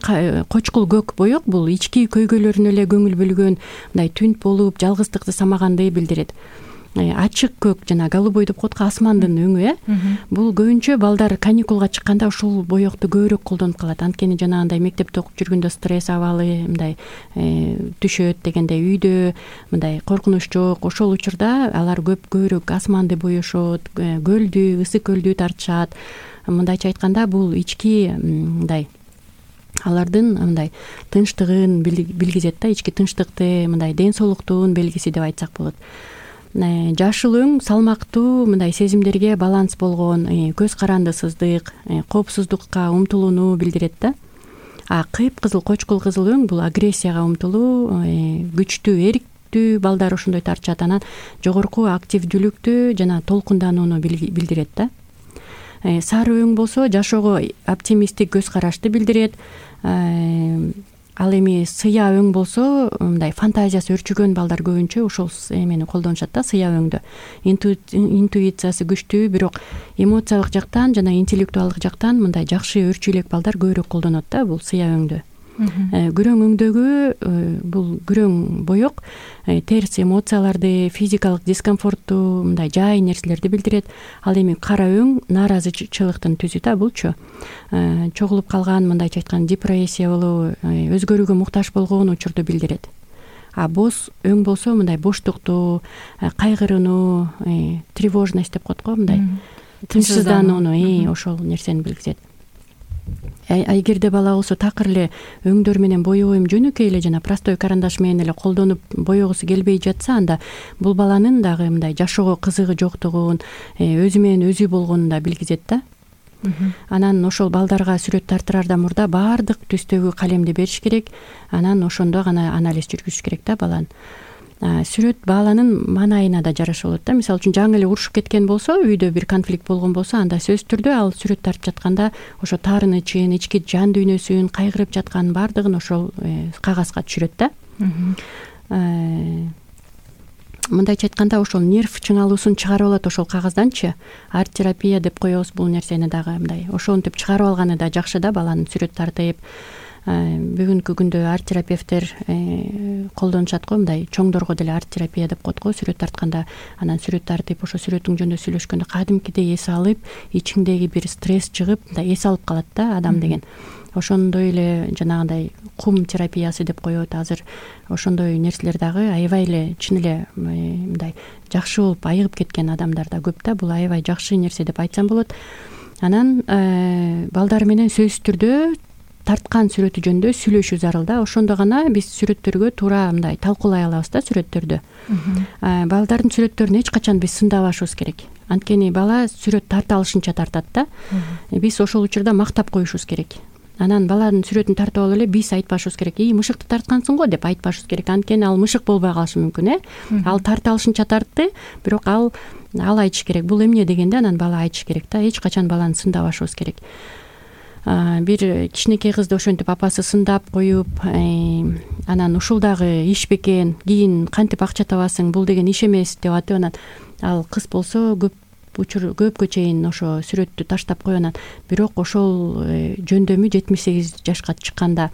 кочкул көк боек бул ички көйгөйлөрүнө эле көңүл бөлгөн, мындай түнт болуп, жалгыздыкты самаганды билдирет. Ачык көк жана голубой деп коет, асмандын өңү, э бул көбүнчө балдар каникулга чыкканда ушул боекту көбүрөөк колдонуп калат. Анткени жанагындай мектепте окуп жүргөндө стресс абалы мындай түшөт дегендей, үйдө мындай коркунуч жок. Ошол учурда алар көп көбүрөөк асманды боешот, көлдү, ысык көлдү тартышат. Мындайча айтканда, бул ички мындай алардын мындай тынчтыгын билгизет да, ички тынчтыкты, мындай ден соолуктун белгиси деп айтсак болот. Жашыл өң салмактуу мындай сезимдерге баланс болгон, көз карандысыздык, коопсуздукка умтулууну билдирет да. А кыпкызыл кочкул кызыл өң бул агрессияга умтулуу, күчтүү, эриктүү балдар ошондой тартышат. Анан жогорку активдүүлүктү жана толкунданууну билдирет да. Сары өң болсо жашоого оптимисттик көз карашты билдирет. Ал эми сыя өң болсо, мындай фантазиясы өрчүгөн балдар көбүнчө ошол эмени колдонушат да, сыя өңдү. Интуициясы күчтүү, бирок эмоциялык жактан жана интеллектуалдык жактан мындай жакшы өрчү элек балдар көбүрөөк колдонот да бул сыя өңдү. Күрөң өңдөгү бул күрөң боек терс эмоцияларды, физикалык дискомфортту, мындай жай нерселерди билдирет. Ал эми кара өң нааразычылыктын түзү да булчу. Чогулуп калган, мындайча айтканда депрессиялуу, өзгөрүүгө муктаж болгон учурду билдирет. А боз өң болсо мындай боштукту, кайгырууну, тревожность деп коет го, мындай тынчсызданууну, ошол нерсени билгизет. Эгерде бала болсо такыр эле өңдөр менен боебойм жөнөкөй эле жана простой карандаш менен эле колдонуп боегусу келбей жатса, анда бул баланын дагы мындай жашоого кызыгы жоктугун, өзү менен өзү болгонун да билгизет да. Анан ошол балдарга сүрөт тартырардан мурда баардык түстөгү калемди бериш керек. Анан ошондо гана анализ жүргүзүш керек да баланын. Сүрөт баланын маанайына да жараша болот да. Мисалы үчүн жаңы эле урушуп кеткен болсо, үйдө бир конфликт болгон болсо, анда сөзсүз түрдө ал сүрөт тартып жатканда ошо таарынычын, ички жан дүйнөсүн, кайгырып жатканын баардыгын ошол кагазга түшүрөт да. Мындайча айтканда, ошол нерв чыңалуусун чыгарып алат ошол кагазданчы. Арт-терапия деп коебуз бул нерсени дагы мындай. Ошонтип чыгарып алганы да жакшы да, баланын сүрөт тартып. Бүгүнкү күндө арт-терапевттер колдонушат го, мындай чоңдорго деле арт-терапия деп коет го, сүрөт тартканда. Анан сүрөт тартып, ошо сүрөтүң жөнүндө сүйлөшкөндө кадимкидей эс алып, ичиңдеги бир стресс чыгып, мындай эс алып калат да адам деген. Ошондой эле жанагындай кум терапиясы деп коет азыр. Ошондой нерселер дагы аябай эле чын эле мындай жакшы болуп айыгып кеткен адамдар да көп да. Бул аябай жакшы нерсе деп айтсам болот. Анан балдар менен сөзсүз түрдө тарткан сүрөтү жөнүндө сүйлөшүү зарыл да. Ошондо гана биз сүрөттөргө туура мындай талкуулай алабыз да сүрөттөрдү. Балдардын сүрөттөрүн эч качан биз сындабашыбыз керек. Анткени бала сүрөт тарта алышынча тартат да. Биз ошол учурда мактап коюшубуз керек. Анан баланын сүрөтүн тартып алып эле биз айтпашыбыз керек, "И, мышыкты тарткансың го" деп айтпашыбыз керек. Анткени ал мышык болбой калышы мүмкүн, э. Ал тарта алышынча тартты, бирок ал ал айтыш керек. Бул эмне дегенде анан бала айтыш керек да. Эч качан баланы сындабашыбыз керек. бир кичинекей кызды ошентип апасы сындап коюп, анан ушул дагы иш бекен, кийин кантип акча табасың, бул деген иш эмес деп атып, анан ал кыз болсо көп учур көпкө чейин ошо сүрөттү таштап койгон. Бирок ошол жөндөмү жетимиш сегиз жашка чыкканда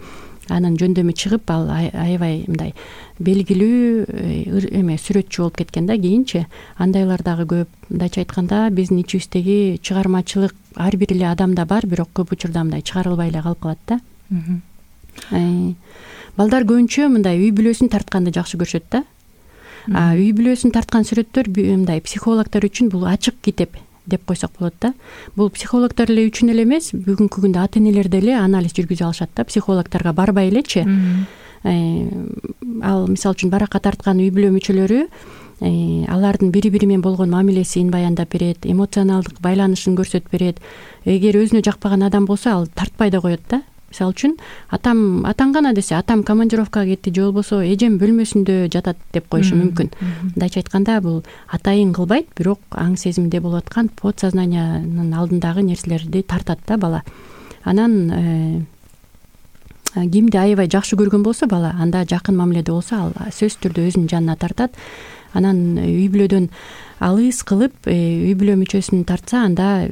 анын жөндөмү чыгып, ал аябай мындай белгилүү эме сүрөтчү болуп кеткен да кийинчи. Андайлар дагы көп. Мындайча айтканда биздин ичибиздеги чыгармачылык ар бир эле адамда бар, бирок көп учурда мындай чыгарылбай эле калып калат да. Балдар көбүнчө мындай үй бүлөсүн тартканды жакшы көрүшөт да. А үй бүлөсүн тарткан сүрөттөр мындай психологдор үчүн бул ачык китеп деп койсок болот да. Бул психологдор эле үчүн эле эмес, бүгүнкү күндө ата энелер деле анализ жүргүзө алышат да, психологдорго барбай элечи. Ал мисалы үчүн баракка тарткан үй бүлө мүчөлөрү алардын бири бири менен болгон мамилесин баяндап берет, эмоционалдык байланышын көрсөтүп берет. Эгер өзүнө жакпаган адам болсо, ал тартпай да коет да. Мисалы үчүн атам атаң гана десе, атам командировкага кетти же болбосо эжем бөлмөсүндө жатат деп коюшу мүмкүн. Мындайча айтканда, бул атайын кылбайт, бирок аң сезимде болуп аткан подсознаниянын алдындагы нерселерди тартат да бала. Анан кимди аябай жакшы көргөн болсо бала, анда жакын мамиледе болсо, ал сөзсүз түрдө өзүнүн жанына тартат. Анан үй бүлөдөн алыс кылып, үй бүлө мүчөсүн тартса, анда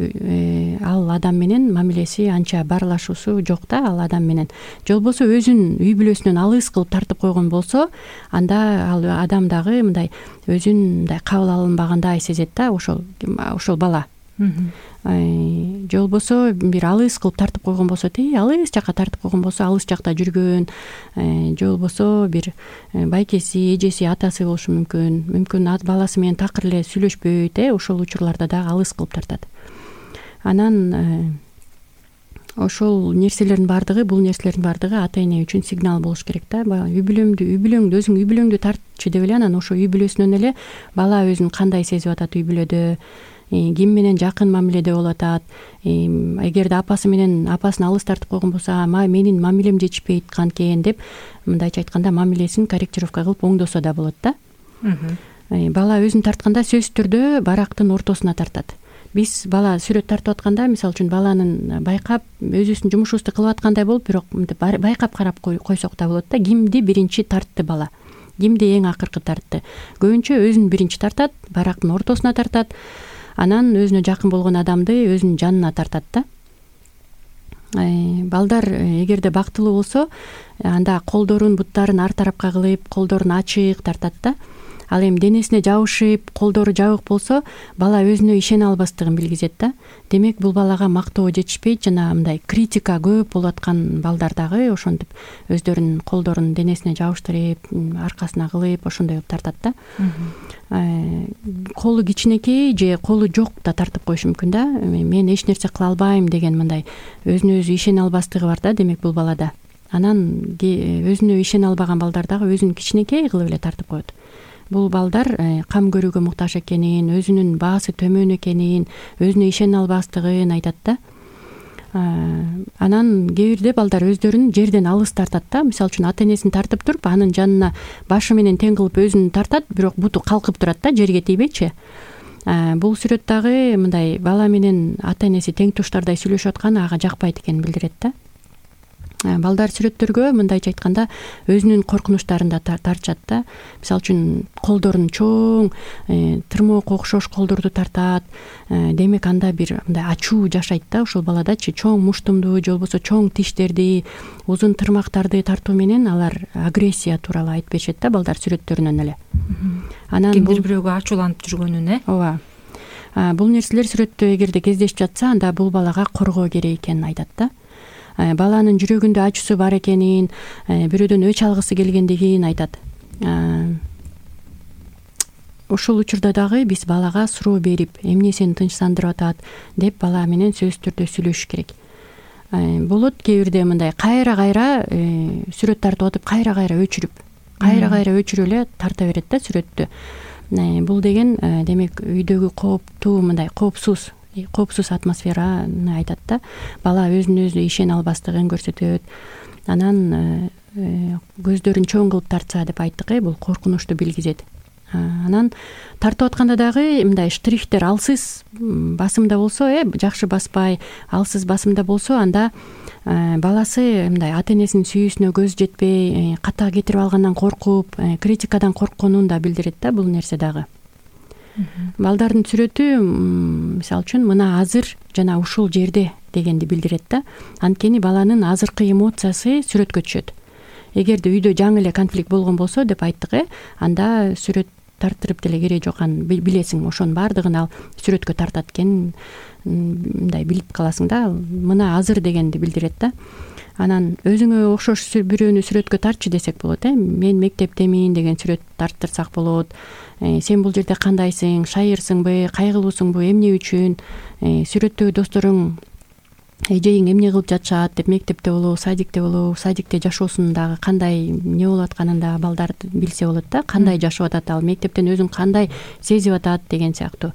ал адам менен мамилеси анча баарлашуусу жок да, ал адам менен. Же болбосо өзүн үй бүлөсүнөн алыс кылып тартып койгон болсо, анда ал адам дагы мындай өзүн мындай кабыл алынбагандай сезет да, ошол ошол бала. Же болбосо бир алыс кылып тартып койгон болсо, тээ алыс жакка тартып койгон болсо, алыс жакта жүргөн, же болбосо бир байкеси, эжеси, атасы болушу мүмкүн. Мүмкүн баласы менен такыр эле сүйлөшпөйт, э, ошол учурларда дагы алыс кылып тартат. Анан ошол нерселердин баардыгы, бул нерселердин баардыгы ата эне үчүн сигнал болуш керек да. Үй бүлөңдү, үй бүлөңдү өзүң үй бүлөңдү тартчы деп эле, анан ошо үй бүлөсүнөн эле бала өзүн кандай сезип атат үй бүлөдө, ким менен жакын мамиледе болуп атат. Эгерде апасы менен апасын алыс тартып койгон болсо, менин мамилем жетишпейт канкен деп, мындайча айтканда, мамилесин корректировка кылып оңдосо да болот да. Бала өзүн тартканда сөзсүз түрдө барактын ортосуна тартат. Биз бала сүрөт тартып атканда, мисалы үчүн баланын байкап өзүбүздүн жумушубузду кылып аткандай болуп, бирок байкап карап койсок да болот да. Кимди биринчи тартты бала, кимди эң акыркы тартты. Көбүнчө өзүн биринчи тартат, барактын ортосуна тартат. Анан өзүнө жакын болгон адамды өзүнүн жанына тартат да. Балдар эгерде бактылуу болсо, анда колдорун, буттарын ар тарапка кылып, колдорун ачык тартат да. Ал эми денесине жабышып, колдору жабык болсо, бала өзүнө ишене албастыгын билгизет да. Демек, бул балага мактоо жетишпейт, жана мындай критика көп болуп аткан балдар дагы ошентип өздөрүнүн колдорун денесине жабыштырып, аркасына кылып, ошондой тартат да. Колу кичинекей же колу жок да тартып коюшу мүмкүн да. Мен эч нерсе кыла албайм деген мындай өзүнө өзү ишене албастыгы бар да, демек бул балада. Анан өзүнө ишене албаган балдар дагы өзүн кичинекей кылып эле тартып коет. Бул балдар кам көрүүгө муктаж экенин, өзүнүн баасы төмөн экенин, өзүнө ишене албастыгын айтат да. Анан кээ бирде балдар өздөрүн жерден алыс тартат да. Мисалы үчүн ата энесин тартып туруп, анын жанына башы менен тең кылып өзүн тартат, бирок буту калкып турат да, жерге тийбейчи. Бул сүрөт дагы мындай бала менен ата энеси тең туштардай сүйлөшүп атканы ага жакпайт экенин билдирет да. Балдар сүрөттөргө мындайча айтканда өзүнүн коркунучтарын да тартышат да. Мисалы үчүн колдорун чоң, тырмоокко окшош колдорду тартат. Демек, анда бир мындай ачуу жашайт да ошол баладачы. Чоң муштумду же болбосо чоң тиштерди, узун тырмактарды тартуу менен алар агрессия тууралуу айтып беришет да балдар сүрөттөрүнөн эле. Анан кимдир бирөөгө ачууланып жүргөнүн, э? Ооба. Бул нерселер сүрөттө эгерде кездешип жатса, анда бул балага коргоо керек экенин айтат да. Баланын жүрөгүндө ачуусу бар экенин, бирөөдөн өч алгысы келгендигин айтат. Ошол учурда дагы биз балага суроо берип, эмне сени тынчсандырып атат деп бала менен сөзсүз түрдө сүйлөшүш керек. Болот кээ бирде мындай кайра-кайра сүрөт тартып атып, кайра-кайра өчүрүп, кайра-кайра өчүрүп эле тарта берет да сүрөттү. Бул деген демек үйдөгү кооптуу, мындай коопсуз коопсуз атмосфераны айтат да. Бала өзүнө өзү ишене албастыгын көрсөтөт. Анан көздөрүн чоң кылып тартса деп айттык, э, бул коркунучту билгизет. Анан тартып атканда дагы мындай штрихтер алсыз басымда болсо, э жакшы баспай алсыз басымда болсо, анда баласы мындай ата энесинин сүйүүсүнө көз жетпей, ката кетирип алгандан коркуп, критикадан коркконун да билдирет да бул нерсе дагы. Балдардын сүрөтү мисалы үчүн мына азыр жана ушул жерде дегенди билдирет да. Анткени баланын азыркы эмоциясы сүрөткө түшөт. Эгерде үйдө жаңы эле конфликт болгон болсо деп айттык, э анда сүрөт тарттырып деле кереги жок, анын билесиң, ошонун баардыгын ал сүрөткө тартат экенин мындай билип каласың да. Мына азыр дегенди билдирет да. Анан өзүңө окшош бирөөнү сүрөткө тартчы десек болот, э мен мектептемин деген сүрөт тарттырсак болот. Сен бул жерде кандайсың, шайырсыңбы, кайгылуусуңбу, эмне үчүн, сүрөттөгү досторуң эжеиң эмне кылып жатышат деп, мектепте болобу, садикте болобу, садикте жашоосундагы кандай эмне болуп атканын да балдар билсе болот да, кандай жашап атат ал, мектептен өзүн кандай сезип атат деген сыяктуу.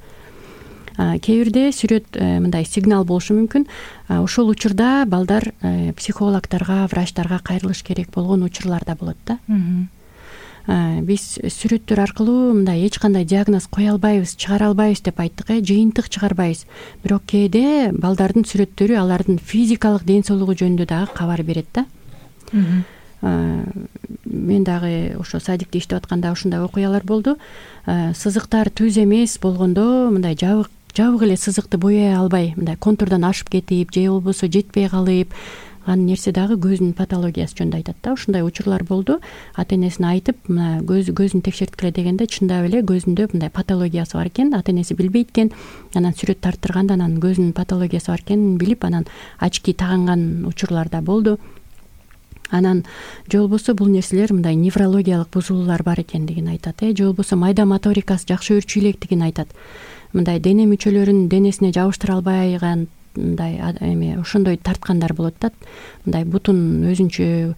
Кээ бирде сүрөт мындай сигнал болушу мүмкүн. Ошол учурда балдар психологторго, врачтарга кайрылыш керек болгон учурлар да болот да. Биз сүрөттөр аркылуу мындай эч кандай диагноз кое албайбыз, чыгара албайбыз деп айттык, э жыйынтык чыгарбайбыз. Бирок кээде балдардын сүрөттөрү алардын физикалык ден соолугу жөнүндө дагы кабар берет да. Мен дагы ошо садикте иштеп атканда ушундай окуялар болду. Сызыктар түз эмес болгондо мындай жабык жабык эле сызыкты бояй албай, мындай контурдан ашып кетип, же болбосо жетпей калып ан нерсе дагы көздүн патологиясы жөнүндө айтат да. Ушундай учурлар болду. Ата энесине айтып, мына көз көзүн текшерткиле дегенде чындап эле көзүндө мындай патологиясы бар экен, ата энеси билбейт экен. Анан сүрөт тарттырганда анан көзүнүн патологиясы бар экенин билип, анан очки тагынган учурлар да болду. Анан же болбосо бул нерселер мындай неврологиялык бузулуулар бар экендигин айтат, э же болбосо майда моторикасы жакшы өөрчү электигин айтат. Мындай дене мүчөлөрүн денесине жабыштыра албайган мындай эме ошондой тарткандар болот да. Мындай бутун өзүнчө,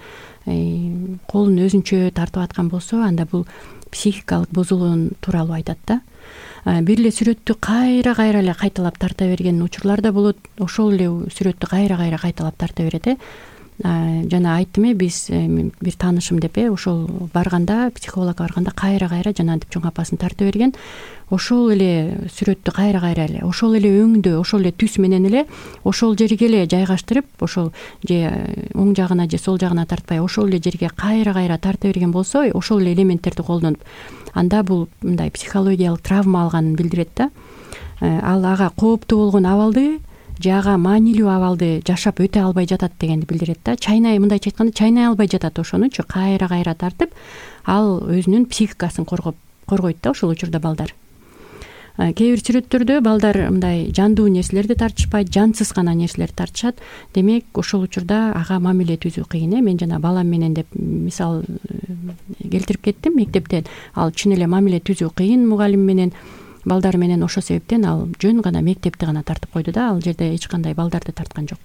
колун өзүнчө тартып аткан болсо, анда бул психикалык бузулуун тууралуу айтат да. Бир эле сүрөттү кайра кайра эле кайталап тарта берген учурлар да болот. Ошол эле сүрөттү кайра кайра кайталап тарта берет, э жана айттым, э биз бир таанышым деп, э ошол барганда, психологко барганда кайра кайра жанагынтип чоң апасын тарта берген. Ошол эле сүрөттү кайра кайра эле, ошол эле өңдө, ошол эле түс менен эле ошол жерге эле жайгаштырып, ошол же оң жагына же сол жагына тартпай, ошол эле жерге кайра кайра тарта берген болсо, ошол эле элементтерди колдонуп, анда бул мындай психологиялык травма алганын билдирет да. Ал ага кооптуу болгон абалды же ага маанилүү абалды жашап өтө албай жатат дегенди билдирет да. Чайнай, мындайча айтканда, чайнай албай жатат ошонучу кайра кайра тартып, ал өзүнүн психикасын коргоп коргойт да ошол учурда балдар. Кээ бир сүрөттөрдө балдар мындай жандуу нерселерди тартышпайт, жансыз гана нерселерди тартышат. Демек, ошол учурда ага мамиле түзүү кыйын, э мен жана балам менен деп мисал келтирип кеттим мектептен. Ал чын эле мамиле түзүү кыйын мугалим менен, балдар менен. Ошол себептен ал жөн гана мектепти гана тартып койду да, ал жерде эч кандай балдарды тарткан жок.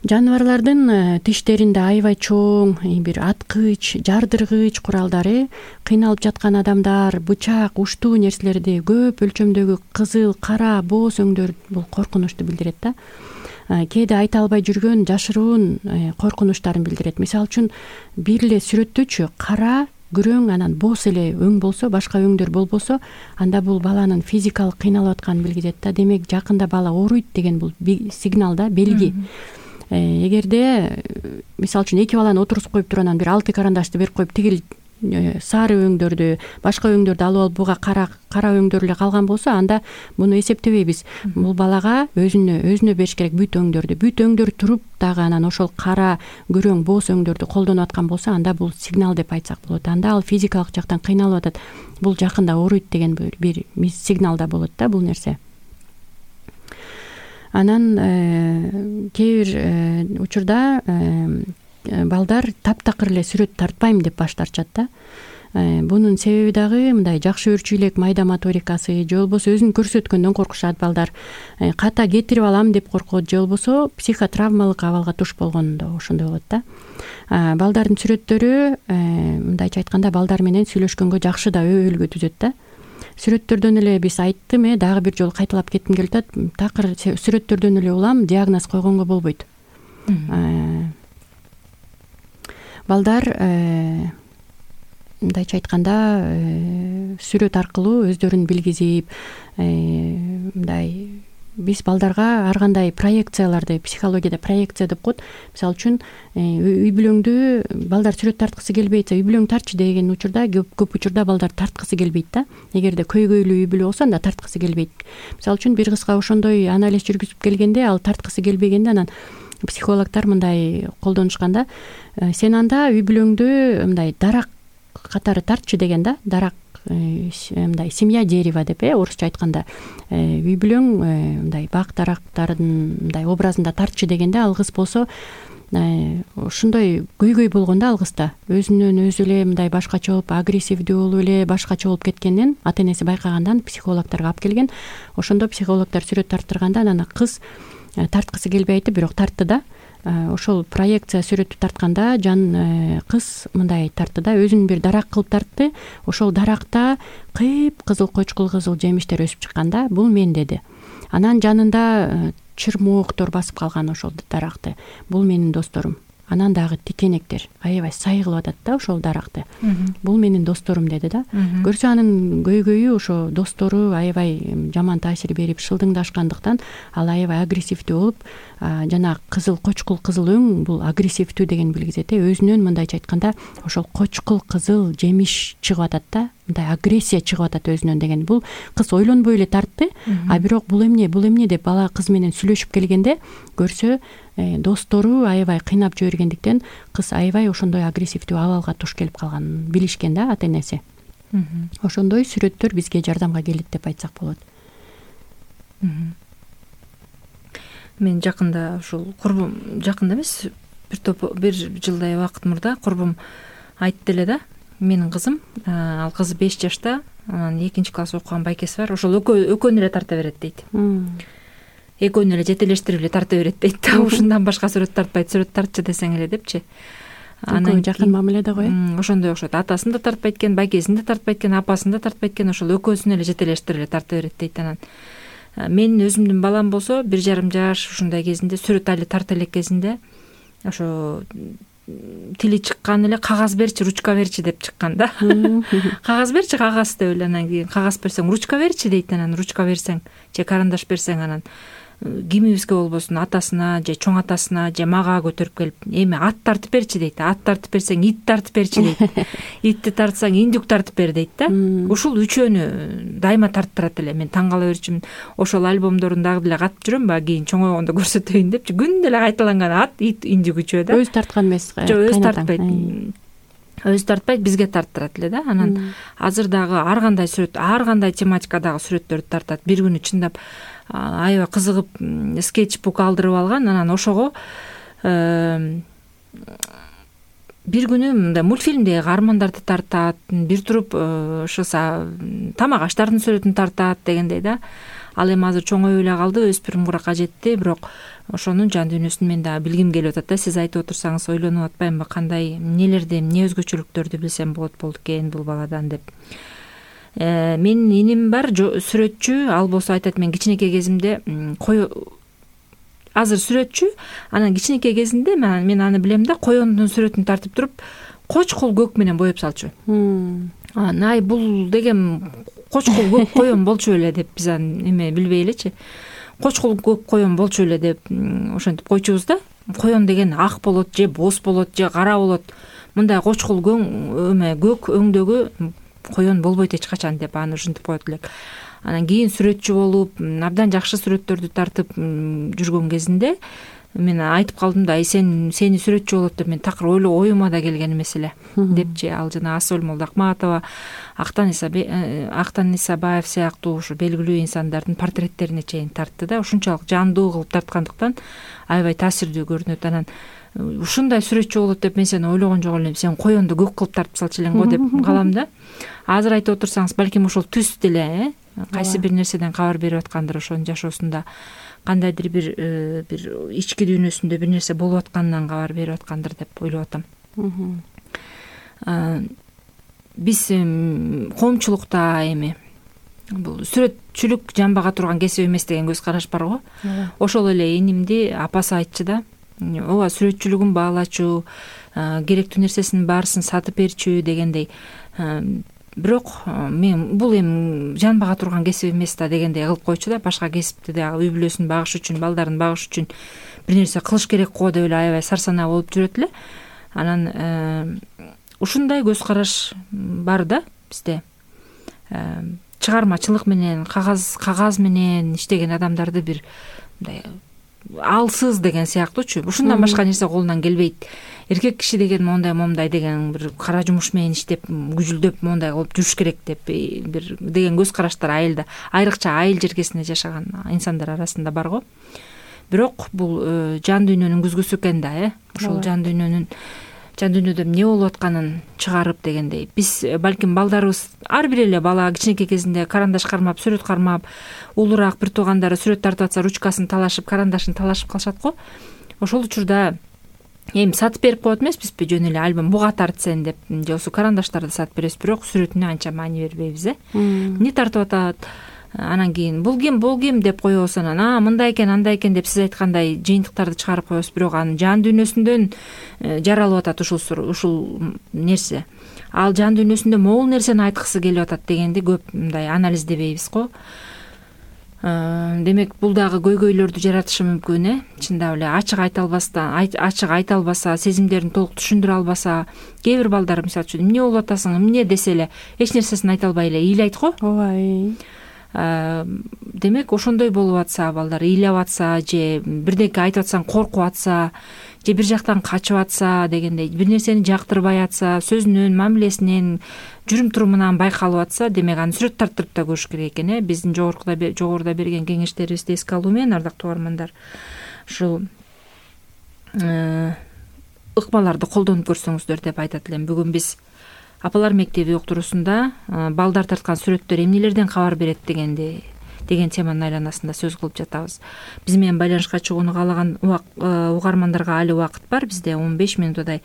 Жаныбарлардын тиштеринде аябай чоң бир аткыч, жардыргыч куралдары, кыйналып жаткан адамдар бычак, уштуу нерселерди, көп өлчөмдөгү кызыл, кара, бооз өңдөр бул коркунучту билдирет да. Кээде айта албай жүргөн жашыруун коркунучтарын билдирет. Мисалы үчүн бир эле сүрөттөчү кара, күрөң, анан бооз эле өң болсо, башка өңдөр болбосо, анда бул баланын физикалык кыйналып атканын билгизет да. Демек, жакында бала ооруйт деген бул сигнал да, белги. Эгерде мисалы үчүн эки баланы отургузуп коюп туруп анан бир алты карандашты берип коюп, тигил сары өңдөрдү, башка өңдөрдү алып алып буга кара кара өңдөр эле калган болсо, анда муну эсептебейбиз. Бул балага өзүнө өзүнө бериш керек бүт өңдөрдү. Бүт өңдөр туруп дагы анан ошол кара, күрөң, бооз өңдөрдү колдонуп аткан болсо, анда бул сигнал деп айтсак болот. Анда ал физикалык жактан кыйналып атат. Бул жакында ооруйт деген бир сигнал да болот да бул нерсе. Анан кээ бир учурда балдар таптакыр эле сүрөт тартпайм деп баш тартышат да. Бунун себеби дагы мындай жакшы өөрчү элек майда моторикасы, же болбосо өзүн көрсөткөндөн коркушат балдар, ката кетирип алам деп коркот, же болбосо психотравмалык абалга туш болгондо ошондой болот да. Балдардын сүрөттөрү мындайча айтканда балдар менен сүйлөшкөнгө жакшы да өбөлгө түзөт да. Сүрөттөрдөн эле биз айттым, э дагы бир жолу кайталап кетким келип атат. Такыр сүрөттөрдөн эле улам диагноз койгонго болбойт. Балдар мындайча айтканда сүрөт аркылуу өздөрүн билгизип, мындай биз балдарга ар кандай проекцияларды, психологияда проекция деп коет. Мисалы үчүн үй бүлөңдү балдар сүрөт тарткысы келбейт, үй бүлөң тартчы деген учурда көп учурда балдар тарткысы келбейт да. Эгерде көйгөйлүү үй бүлө болсо анда тарткысы келбейт. Мисалы үчүн бир кызга ошондой анализ жүргүзүп келгенде, ал тарткысы келбегенде, анан психологдор мындай колдонушкан да, сен анда үй бүлөңдү мындай дарак катары тартчы деген да, дарак мындай семья дерева деп, э орусча айтканда үй бүлөң мындай бак дарактардын мындай образында тартчы дегенде, ал кыз болсо ошондой көйгөй болгондо, ал кызда өзүнөн өзү эле мындай башкача болуп, агрессивдүү болуп эле башкача болуп кеткенин ата энеси байкагандан психологдорго алып келген. Ошондо психологдор сүрөт тарттырганда анан кыз тарткысы келбей айтты, бирок тартты да. Ошол проекция сүрөттү тартканда жан кыз мындай тартты да, өзүн бир дарак кылып тартты. Ошол даракта кып кызыл, кочкул кызыл жемиштер өсүп чыккан да, бул мен деди. Анан жанында чырмооктор басып калган ошол даракты. Бул менин досторум. Анан дагы тикенектер аябай сай кылып атат да ошол даракты. Бул менин досторум деди да. Көрсө анын көйгөйү ошо достору аябай жаман таасир берип шылдыңдашкандыктан ал аябай агрессивдүү болуп, жана кызыл, кочкул кызыл өң бул агрессивдүү деген билгизет. Өзүнөн мындайча айтканда ошол кочкул кызыл жемиш чыгып атат да, мындай агрессия чыгып атат өзүнөн деген. Бул кыз ойлонбой эле тартты, а бирок бул эмне, бул эмне деп бала кыз менен сүйлөшүп келгенде көрсө достору аябай кыйнап жибергендиктен кыз аябай ошондой агрессивдүү абалга туш келип калганын билишкен да ата энеси. Ошондой сүрөттөр бизге жардамга келет деп айтсак болот. Мен жакында ушул курбум, жакында эмес, бир топ бир жылдай убакыт мурда курбум айтты эле да, менин кызым, ал кызы беш жашта, анан экинчи класс окуган байкеси бар, ошол экөөнү эле тарта берет дейт. Экөөнү эле жетелештирип эле тарта берет дейт да. Ушундан башка сүрөт тартпайт, сүрөт тартчы десең эле депчи. Анан жакын мамиледе го, э. Ошондой окшойт. Атасын да тартпайт экен, байкесин да тартпайт экен, апасын да тартпайт экен, ошол экөөсүн эле жетелештирип эле тарта берет дейт. Анан менин өзүмдүн балам болсо бир жарым жаш ушундай кезинде, сүрөт али тарта элек кезинде, ошо тили чыккан эле, кагаз берчи, ручка берчи деп чыккан да. Кагаз берчи, кагаз деп эле, анан кийин кагаз берсең, ручка берчи дейт. Анан ручка берсең же карандаш берсең, анан кимибизге болбосун атасына же чоң атасына же мага көтөрүп келип, эми ат тартып берчи дейт. Ат тартып берсең, ит тартып берчи дейт. Итти тартсаң, индюк тартып бер дейт да. Ушул үчөөнү дайыма тарттырат эле. Мен таң кала берчүмүн. Ошол альбомдорун дагы деле катып жүрөм, баягы кийин чоңойгондо көрсөтөйүн депчи. Күндө эле кайталанган ат, ит, индюк үчөө да. Өзү тарткан эмес. Жок, өзү тартпайт. Өзү тартпайт, бизге тарттырат эле да. Анан азыр дагы ар кандай сүрөт, ар кандай тематикадагы сүрөттөрдү тартат. Бир күнү чындап аябай кызыгып скетчбук алдырып алган. Анан ошого бир күнү мындай мультфильмдеги каармандарды тартат, бир туруп ошо тамак аштардын сүрөтүн тартат дегендей да. Ал эми азыр чоңоюп эле калды, өспүрүм куракка жетти, бирок ошонун жан дүйнөсүн мен дагы билгим келип атат да. Сиз айтып отурсаңыз ойлонуп атпаймынбы, кандай эмнелерди, эмне өзгөчөлүктөрдү билсем болот болду экен бул баладан деп. Менин иним бар, сүрөтчү, ал болсо айтат, мен кичинекей кезимде кой азыр сүрөтчү, анан кичинекей кезинде мен аны билем да, коёндун сүрөтүн тартып туруп, кочкул көк менен боеп салчу. Ай, бул деген кочкул көк коён болчу эле деп биз аны эме билбей элечи. Кочкул көк коён болчу эле деп ошентип койчубуз да. Коён деген ак болот, же боз болот, же кара болот. Мындай кочкул эме көк өңдөгү коён болбойт эч качан деп аны ушинтип коет элек. Анан кийин сүрөтчү болуп, абдан жакшы сүрөттөрдү тартып жүргөн кезинде мен айтып калдым да, сен сени сүрөтчү болот деп мен такыр ойлоо оюма да келген эмес эле депчи. Ал жана Асөл Молдоакматова, Актан Актан Исабаев сыяктуу ушу белгилүү инсандардын портреттерине чейин тартты да. Ушунчалык жандуу кылып тарткандыктан аябай таасирдүү көрүнөт. Анан ушундай сүрөтчү болот деп мен сени ойлогон жок элем, сен коёнду көк кылып тартып салчу элең го деп калам да. Азыр айтып отурсаңыз, балким ошол түс деле, э, кайсы бир нерседен кабар берип аткандыр, ошонун жашоосунда кандайдыр бир бир ички дүйнөсүндө бир нерсе болуп атканынан кабар берип аткандыр деп ойлоп атам. Биз коомчулукта эми бул сүрөтчүлүк жамбага турган кесип эмес деген көз караш бар го. Ошол эле инимди апасы айтчу да. ооба сүрөтчүлүгүн баалачу, керектүү нерсесинин баарысын сатып берчү дегендей. Бирок мен бул эми жанбага турган кесип эмес да дегендей кылып койчу да. Башка кесипти дагы үй бүлөсүн багыш үчүн, балдарын багыш үчүн бир нерсе кылыш керек го деп эле аябай сарсанаа болуп жүрөт эле. Анан ушундай көз караш бар да бизде. Чыгармачылык менен, кагаз кагаз менен иштеген адамдарды бир мындай алсыз деген сыяктуучу. Ушундан башка нерсе колунан келбейт. Эркек киши деген мондай момундай деген бир кара жумуш менен иштеп, күжүлдөп мондай кылып жүрүш керек деп бир деген көз караштар айылда, айрыкча айыл жеркесинде жашаган инсандар арасында бар го. Бирок бул жан дүйнөнүн күзгүсү экен да, э. Ошол жан дүйнөнүн жан дүйнөдө эмне болуп атканын чыгарып дегендей. Биз балким балдарыбыз ар бир эле бала кичинекей кезинде карандаш кармап, сүрөт кармап, улураак бир туугандары сүрөт тартып атса ручкасын талашып, карандашын талашып калышат го. Ошол учурда эми сатып берип коет эмеспизби, жөн эле альбом буга тарт сен деп, же болбосо карандаштарды сатып беребиз, бирок сүрөтүнө анча маани бербейбиз, э. Эмне тартып атат? Анан кийин бул ким, бул ким деп коебуз, анан а мындай экен, андай экен деп сиз айткандай жыйынтыктарды чыгарып коебуз, бирок анын жан дүйнөсүндөн жаралып атат ушул ушул нерсе. Ал жан дүйнөсүндө могул нерсени айткысы келип атат дегенди көп мындай анализдебейбиз го. Демек бул дагы көйгөйлөрдү жаратышы мүмкүн, э. Чындап эле ачык айта албастан, ачык айта албаса, сезимдерин толук түшүндүрө албаса, кээ бир балдар мисалы үчүн эмне болуп атасың, эмне десе эле эч нерсесин айта албай эле ыйлайт го. Ооба. Демек ошондой болуп атса, балдар ыйлап атса, же бирдеке айтып атсаң коркуп атса, же бир жактан качып атса дегендей, бир нерсени жактырбай атса, сөзүнөн, мамилесинен, жүрүм турумунан байкалып атса, демек аны сүрөт тартып да көрүш керек экен, э. Биздин жогоруда жогоруда берген кеңештерибизди эске алуу менен, ардактуу угармандар, ушул ыкмаларды колдонуп көрсөңүздөр деп айтат элем. Бүгүн биз апалар мектеби уктуруусунда балдар тарткан сүрөттөр эмнелерден кабар берет дегенди деген теманын айланасында сөз кылып жатабыз. Биз менен байланышка чыгууну каалаган угармандарга али убакыт бар. Бизде он беш минуттай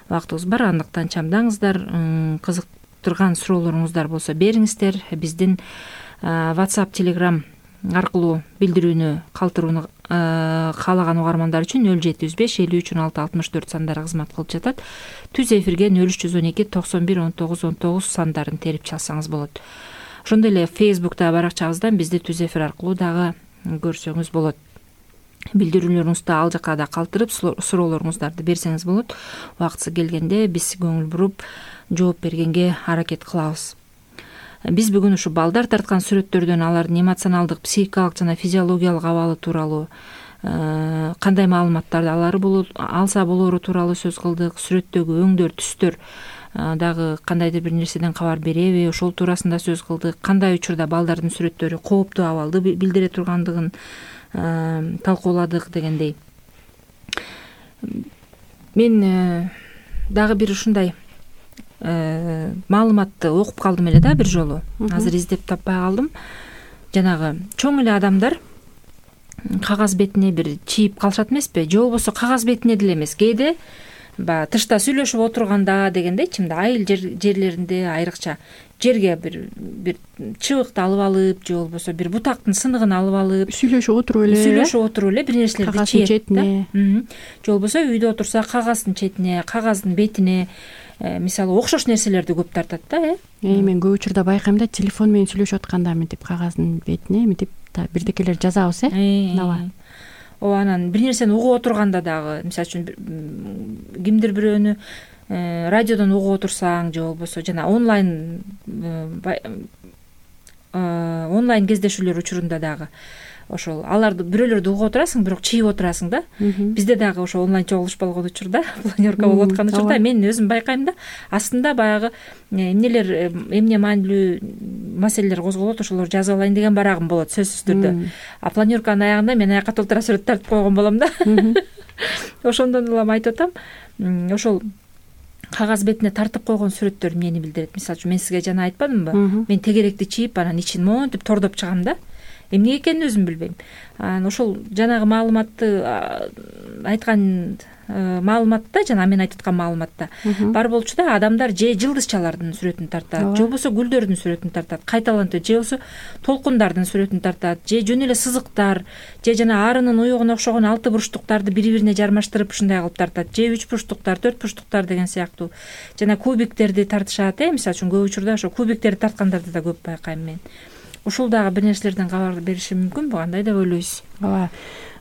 убактыбыз бар. Андыктан чамдаңыздар, кызыктырган суроолоруңуздар болсо бериңиздер. Биздин WhatsApp, Telegram аркылуу билдирүүнү калтырууну каалаган угармандар үчүн нөл жети жүз беш элүү үч он алты алтымыш төрт сандары кызмат кылып жатат. Түз эфирге нөл үч жүз он эки токсон бир он тогуз он тогуз сандарын терип чалсаңыз болот. Ошондой эле Facebook'та баракчабыздан бизди түз эфир аркылуу дагы көрсөңүз болот. Билдирүүлөрүңүздү ал жака да калтырып, суроолоруңуздарды берсеңиз болот. Убактысы келгенде биз көңүл буруп жооп бергенге аракет кылабыз. Биз бүгүн ушу балдар тарткан сүрөттөрдөн алардын эмоционалдык, психикалык жана физиологиялык абалы тууралуу, кандай маалыматтарды алары болот, алса болоору тууралуу сөз кылдык. Сүрөттөгү өңдөр, түстөр дагы кандайдыр бир нерседен кабар береби, ошол туурасында сөз кылдык. Кандай учурда балдардын сүрөттөрү кооптуу абалды билдире тургандыгын талкууладык дегендей. Мен дагы бир ушундай маалыматты окуп калдым эле да бир жолу. Азыр издеп таппай калдым. Жанагы чоң эле адамдар кагаз бетине бир чийип калышат эмеспи? Же болбосо кагаз бетине деле эмес, кээде баягы тышта сүйлөшүп отурганда дегендейчи, мындай айыл жерлеринде айрыкча жерге бир бир чыбыкты алып алып, же болбосо бир бутактын сыныгын алып алып сүйлөшүп отуруп эле сүйлөшүп отуруп эле бир нерселерди чийет да. Же болбосо үйдө отурса кагаздын четине, кагаздын бетине, мисалы окшош нерселерди көп тартат да, э. Мен көп учурда байкайм да, телефон менен сүйлөшүп атканда мынтип кагаздын бетине мынтип бирдекелер жазабыз, э. Ооба. Ооба, анан бир нерсени угуп отурганда дагы, мисалы үчүн кимдир бирөөнү радиодон угуп отурсаң, же болбосо жана онлайн онлайн кездешүүлөр учурунда дагы ошол аларды бирөөлөрдү угуп отурасың, бирок чийип отурасың да. Бизде дагы ошо онлайн чогулуш болгон учурда, планерка болуп аткан учурда мен өзүм байкайм да, астында баягы эмнелер, эмне маанилүү маселелер козголот, ошолорду жазып алайын деген барагым болот сөзсүз түрдө. А планерканын аягында мен аяка толтура сүрөт тартып койгон болом да. Ошондон улам айтып атам, ошол кагаз бетине тартып койгон сүрөттөр эмнени билдирет? Мисалы үчүн мен сизге жана айтпадымбы? Мен тегеректи чийип, анан ичин монтип тордоп чыгам да. эмне экенин өзүм билбейм. Анан ошол жанагы маалыматты айткан маалыматта жана мен айтып аткан маалыматта бар болчу да, адамдар же жылдызчалардын сүрөтүн тартат, же болбосо гүлдөрдүн сүрөтүн тартат, кайталантат, же болбосо толкундардын сүрөтүн тартат, же жөн эле сызыктар, же жана арынын уюгуна окшогон алты бурчтуктарды бири бирине жармаштырып ушундай кылып тартат, же үч бурчтуктар, төрт бурчтуктар деген сыяктуу жана кубиктерди тартышат. Э мисалы үчүн көп учурда ошо кубиктерди тарткандарды да көп байкайм мен. Ушул дагы бир нерселерден кабар бериши мүмкүнбү, кандай деп ойлойсуз? Ооба,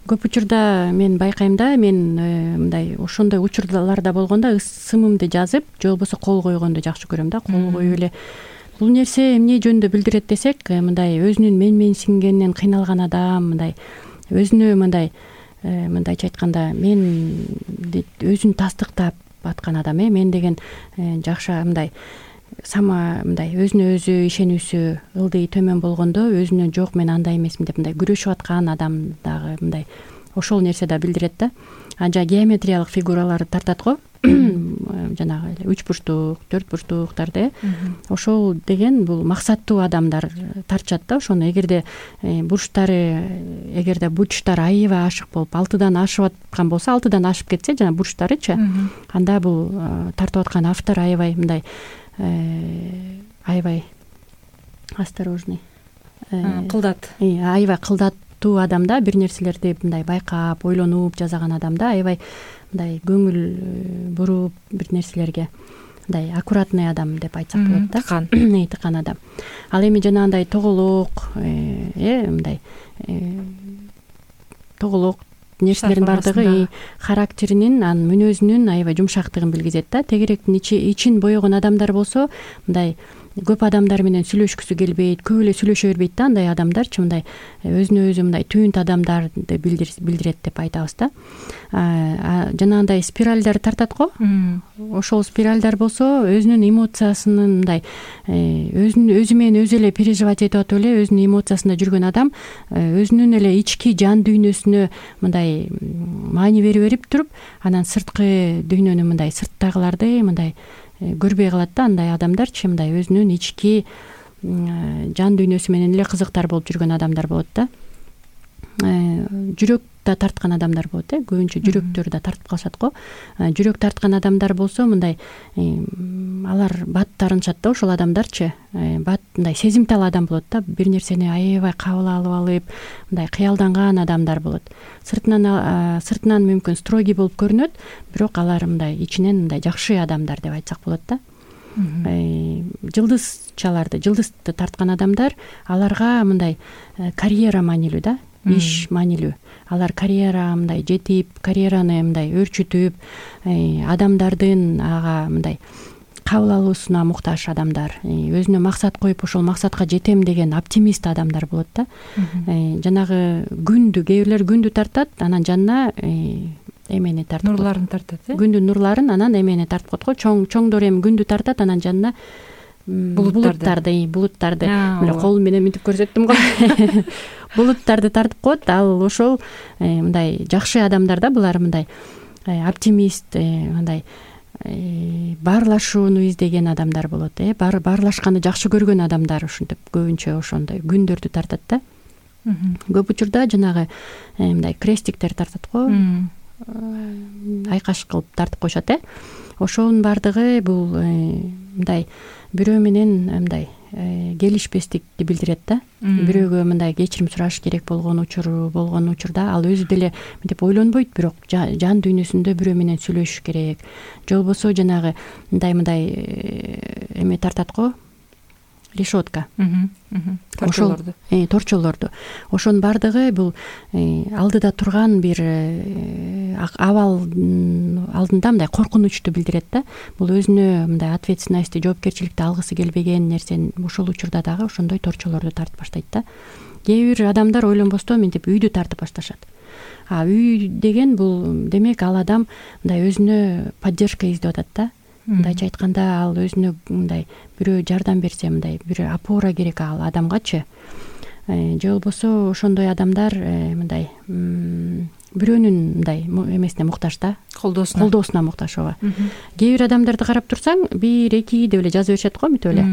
көп учурда мен байкайм да, мен мындай ошондой учурларда болгондо ысымымды жазып, же болбосо кол койгонду жакшы көрөм да. Кол коюп эле бул нерсе эмне жөнүндө билдирет десек, мындай өзүнүн менменсингенинен кыйналган адам, мындай өзүнө мындай мындайча айтканда мен өзүн тастыктап аткан адам. Э мен деген жакшы мындай сама мындай өзүнө өзү ишенүүсү ылдый төмөн болгондо өзүнө жок мен андай эмесмин деп мындай күрөшүп аткан адам дагы мындай ошол нерсе да билдирет да. А жана геометриялык фигураларды тартат го, жанагы эле үч бурчтук, төрт бурчтуктарды. Ошол деген бул максаттуу адамдар тартышат да ошону. Эгерде бурчтары, эгерде бурчтар аябай ашык болуп алтыдан ашып аткан болсо, алтыдан ашып кетсе жана бурчтарычы, анда бул тартып аткан автор аябай мындай аябай осторожный, кылдат, аябай кылдаттуу адам да. Бир нерселерди мындай байкап, ойлонуп жазаган адам да. Аябай мындай көңүл буруп бир нерселерге мындай аккуратный адам деп айтсак болот да. Тыкан тыкан адам. Ал эми жанагындай тоголок, э мындай тоголок нерселердин баардыгы характеринин, анын мүнөзүнүн аябай жумшактыгын билгизет да. Тегеректин ичин боёгон адамдар болсо мындай көп адамдар менен сүйлөшкүсү келбейт, көп эле сүйлөшө бербейт да. Андай адамдарчы мындай өзүнө өзү мындай түнт адамдарды билдирет деп айтабыз да. Жанагындай спиральдар тартат го. Ошол спиральдар болсо өзүнүн эмоциясынын мындай өзүн өзү менен өзү эле переживать этип атып эле өзүнүн эмоциясында жүргөн адам өзүнүн эле ички жан дүйнөсүнө мындай маани бере берип туруп, анан сырткы дүйнөнү мындай сырттагыларды мындай көрбөй калат да. Андай адамдарчы мындай өзүнүн ички жан дүйнөсү менен эле кызыктар болуп жүргөн адамдар болот да. Жүрөк да тарткан адамдар болот. Э көбүнчө жүрөктөрү да тартып калышат го. Жүрөк тарткан адамдар болсо мындай алар бат тарынышат да. Ошол адамдарчы бат мындай сезимтал адам болот да. Бир нерсени аябай кабыл алып алып мындай кыялданган адамдар болот. Сыртынан сыртынан мүмкүн строгий болуп көрүнөт, бирок алар мындай ичинен мындай жакшы адамдар деп айтсак болот да. Жылдызчаларды, жылдызды тарткан адамдар, аларга мындай карьера маанилүү да. Иш маанилүү. Алар карьера мындай жетип, карьераны мындай өрчүтүп, адамдардын ага мындай кабыл алуусуна муктаж адамдар, өзүнө максат коюп ошол максатка жетем деген оптимист адамдар болот да. Жанагы күндү, кээ бирлер күндү тартат, анан жанына эмени тартып, нурларын тартат. Э күндүн нурларын, анан эмени тартып коет го. Чоң чоңдор эми күндү тартат, анан жанына булуттарды, булуттарды эле кол менен мынтип көрсөттүм го. Булуттарды тартып коет. Ал ошол мындай жакшы адамдар да. Булар мындай оптимист, мындай баарлашууну издеген адамдар болот. Э бар баарлашканды жакшы көргөн адамдар ушинтип көбүнчө ошондой күндөрдү тартат да. Көп учурда жанагы мындай крестиктер тартат го. Айкаш кылып тартып коюшат. Э ошонун баардыгы бул мындай бирөө менен мындай келишпестикти билдирет да. Бирөөгө мындай кечирим сураш керек болгон учуру болгон учурда ал өзү деле мынтип ойлонбойт, бирок жан дүйнөсүндө бирөө менен сүйлөшүш керек. Же болбосо жанагы мындай мындай эме тартат го, решетка. Торчолорду. Э торчолорду. Ошонун баардыгы бул алдыда турган бир абал алдында мындай коркунучту билдирет да. Бул өзүнө мындай ответственностьти, жоопкерчиликти алгысы келбеген нерсени ошол учурда дагы ошондой торчолорду тартып баштайт да. Кээ бир адамдар ойлонбостон мынтип үйдү тартып башташат. А үй деген бул демек ал адам мындай өзүнө поддержка издеп атат да. Мындайча айтканда ал өзүнө мындай бирөө жардам берсе, мындай бир опора керек ал адамгачы. Же болбосо ошондой адамдар мындай бирөөнүн мындай эмесине муктаж да, колдоосуна колдоосуна муктаж. ооба. Кээ бир адамдарды карап турсаң, бир эки деп эле жаза беришет го, мүтүп эле.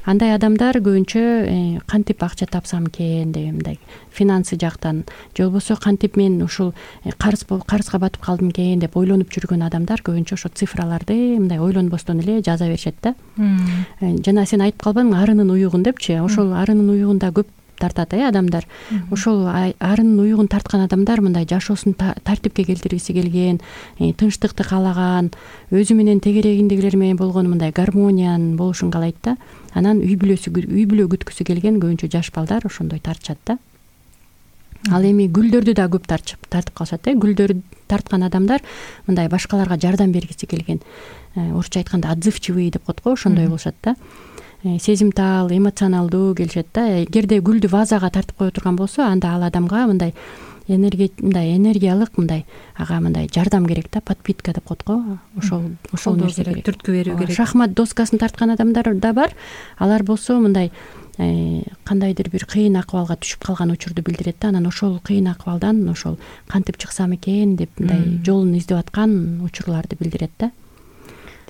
Андай адамдар көбүнчө кантип акча тапсам экен деп, мындай финансы жактан же болбосо кантип мен ушул карыз карызга батып калдым экен деп ойлонуп жүргөн адамдар көбүнчө ошо цифраларды мындай ойлонбостон эле жаза беришет да. Жана сен айтып калбадыңбы, арынын уюгун депчи. Ошол арынын уюгунда көп тартат э адамдар. Ошол арынын уюгун тарткан адамдар мындай жашоосун тартипке келтиргиси келген, тынчтыкты каалаган, өзү менен тегерегиндегилер менен болгон мындай гармониянын болушун каалайт да. Анан үй бүлөсү үй бүлө күткүсү келген көбүнчө жаш балдар ошондой тартышат да. Ал эми гүлдөрдү да көп тартып тартып калышат э. Гүлдөрдү тарткан адамдар мындай башкаларга жардам бергиси келген, орусча айтканда отзывчивый деп коет го, ошондой болушат да. Сезимтал, эмоционалдуу келишет да. Эгерде гүлдү вазага тартып кое турган болсо, анда ал адамга мындай энергия мындай энергиялык мындай ага мындай жардам керек да, подпитка деп коет го. Ошол ошол нерсе керек, түрткү берүү керек. Шахмат доскасын тарткан адамдар да бар. Алар болсо мындай кандайдыр бир кыйын акыбалга түшүп калган учурду билдирет да. Анан ошол кыйын акыбалдан ошол кантип чыксам экен деп мындай жолун издеп аткан учурларды билдирет да.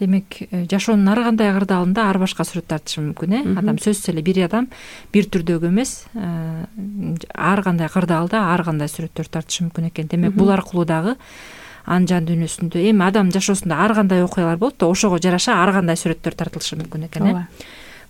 Демек, жашоонун ар кандай кырдаалында ар башка сүрөт тартышы мүмкүн э. Адам сөзсүз эле бир адам бир түрдөгү эмес, ар кандай кырдаалда ар кандай сүрөттөр тартышы мүмкүн экен. Демек, бул аркылуу дагы анын жан дүйнөсүндө эми адам жашоосунда ар кандай окуялар болот да, ошого жараша ар кандай сүрөттөр тартылышы мүмкүн экен э.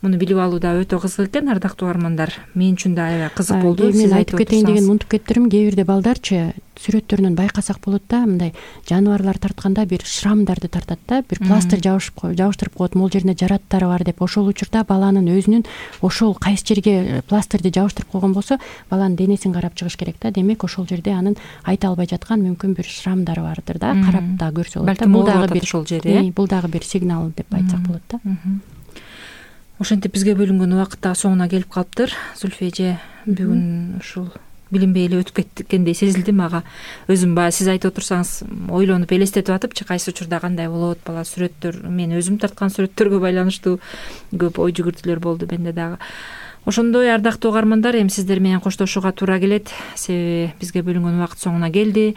Муну билип алуу да өтө кызык экен, ардактуу угармандар. Мен үчүн да аябай кызык болду. Мен айтып кетейин деген унутуп кеттирим. Кээ бирде балдарчы сүрөттөрүнөн байкасак болот да, мындай жаныбарлар тартканда бир шрамдарды тартат да, бир пластырь жабышып жабыштырып коет, могул жерине жараттары бар деп. Ошол учурда баланын өзүнүн ошол кайсы жерге пластырды жабыштырып койгон болсо, баланын денесин карап чыгыш керек да. Демек, ошол жерде анын айта албай жаткан мүмкүн бир шрамдары бардыр да, карап да көрсө болот да. Бул дагы бир ошол жери, бул дагы бир сигнал деп айтсак болот да. Ошентип бизге бөлүнгөн убакыт да соңуна келип калыптыр. Зүлфия эже, бүгүн ушул билинбей эле өтүп кеткендей сезилди мага. Өзүм баягы сиз айтып отурсаңыз ойлонуп элестетип атыпчы, кайсы учурда кандай болот, бала сүрөттөр, мен өзүм тарткан сүрөттөргө байланыштуу көп ой жүгүртүүлөр болду менде дагы. Ошондой ардактуу угармандар, эми сиздер менен коштошууга туура келет, себеби бизге бөлүнгөн убакыт соңуна келди.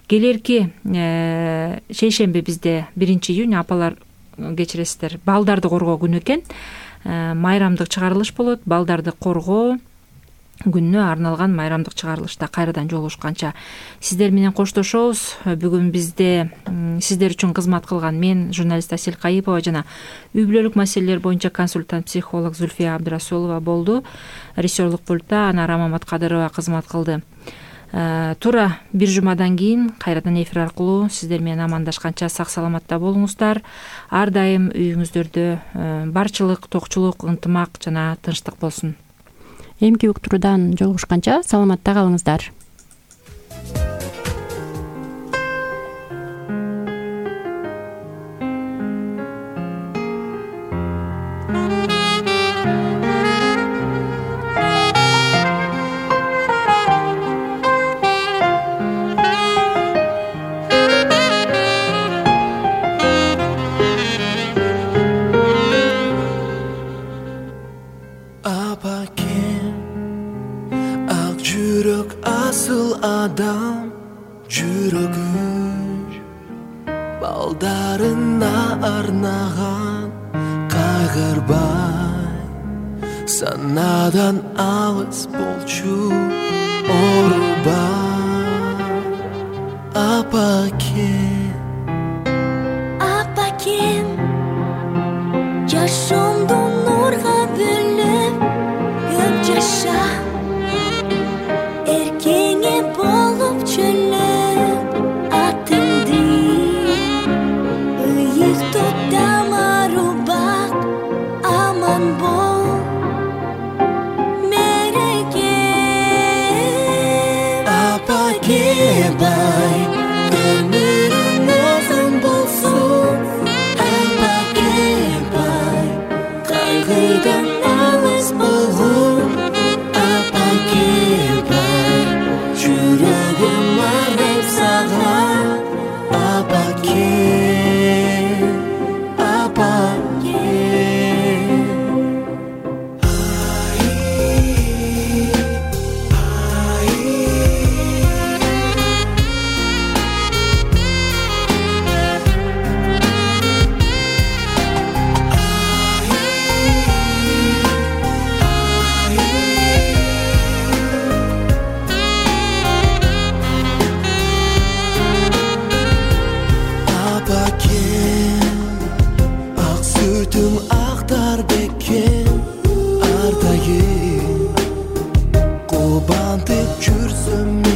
Келерки шейшемби бизде биринчи июнь апалар кечиресиздер, балдарды коргоо күнү экен. Майрамдык чыгарылыш болот. Балдарды коргоо күнүнө арналган майрамдык чыгарылышта кайрадан жолугушканча сиздер менен коштошобуз. Бүгүн бизде сиздер үчүн кызмат кылган мен, журналист Асель Кайыпова жана үй бүлөлүк маселелер боюнча консультант психолог Зүлфия Абдрасулова болду. Режиссерлук пультта Анара Маматкадырова кызмат кылды. Туура бир жумадан кийин кайрадан эфир аркылуу сиздер менен амандашканча сак саламатта болуңуздар. Ар дайым үйүңүздөрдө барчылык, токчулук, ынтымак жана тынчтык болсун. Эмки уктуруудан жолугушканча саламатта калыңыздар. Адам жүрөгү балдарына арнаган кайгырбай санадан алыс болчу орубай апакен апакен жашоомду нурга бөлөп көп жаша болуп чөлөп атыңды ыйыктоп дамару бак аман бол мереке апаке бай өмүрүң узун болсун апаке бай кайгыдан алыс болгун ар дайым кубантып жүрсөм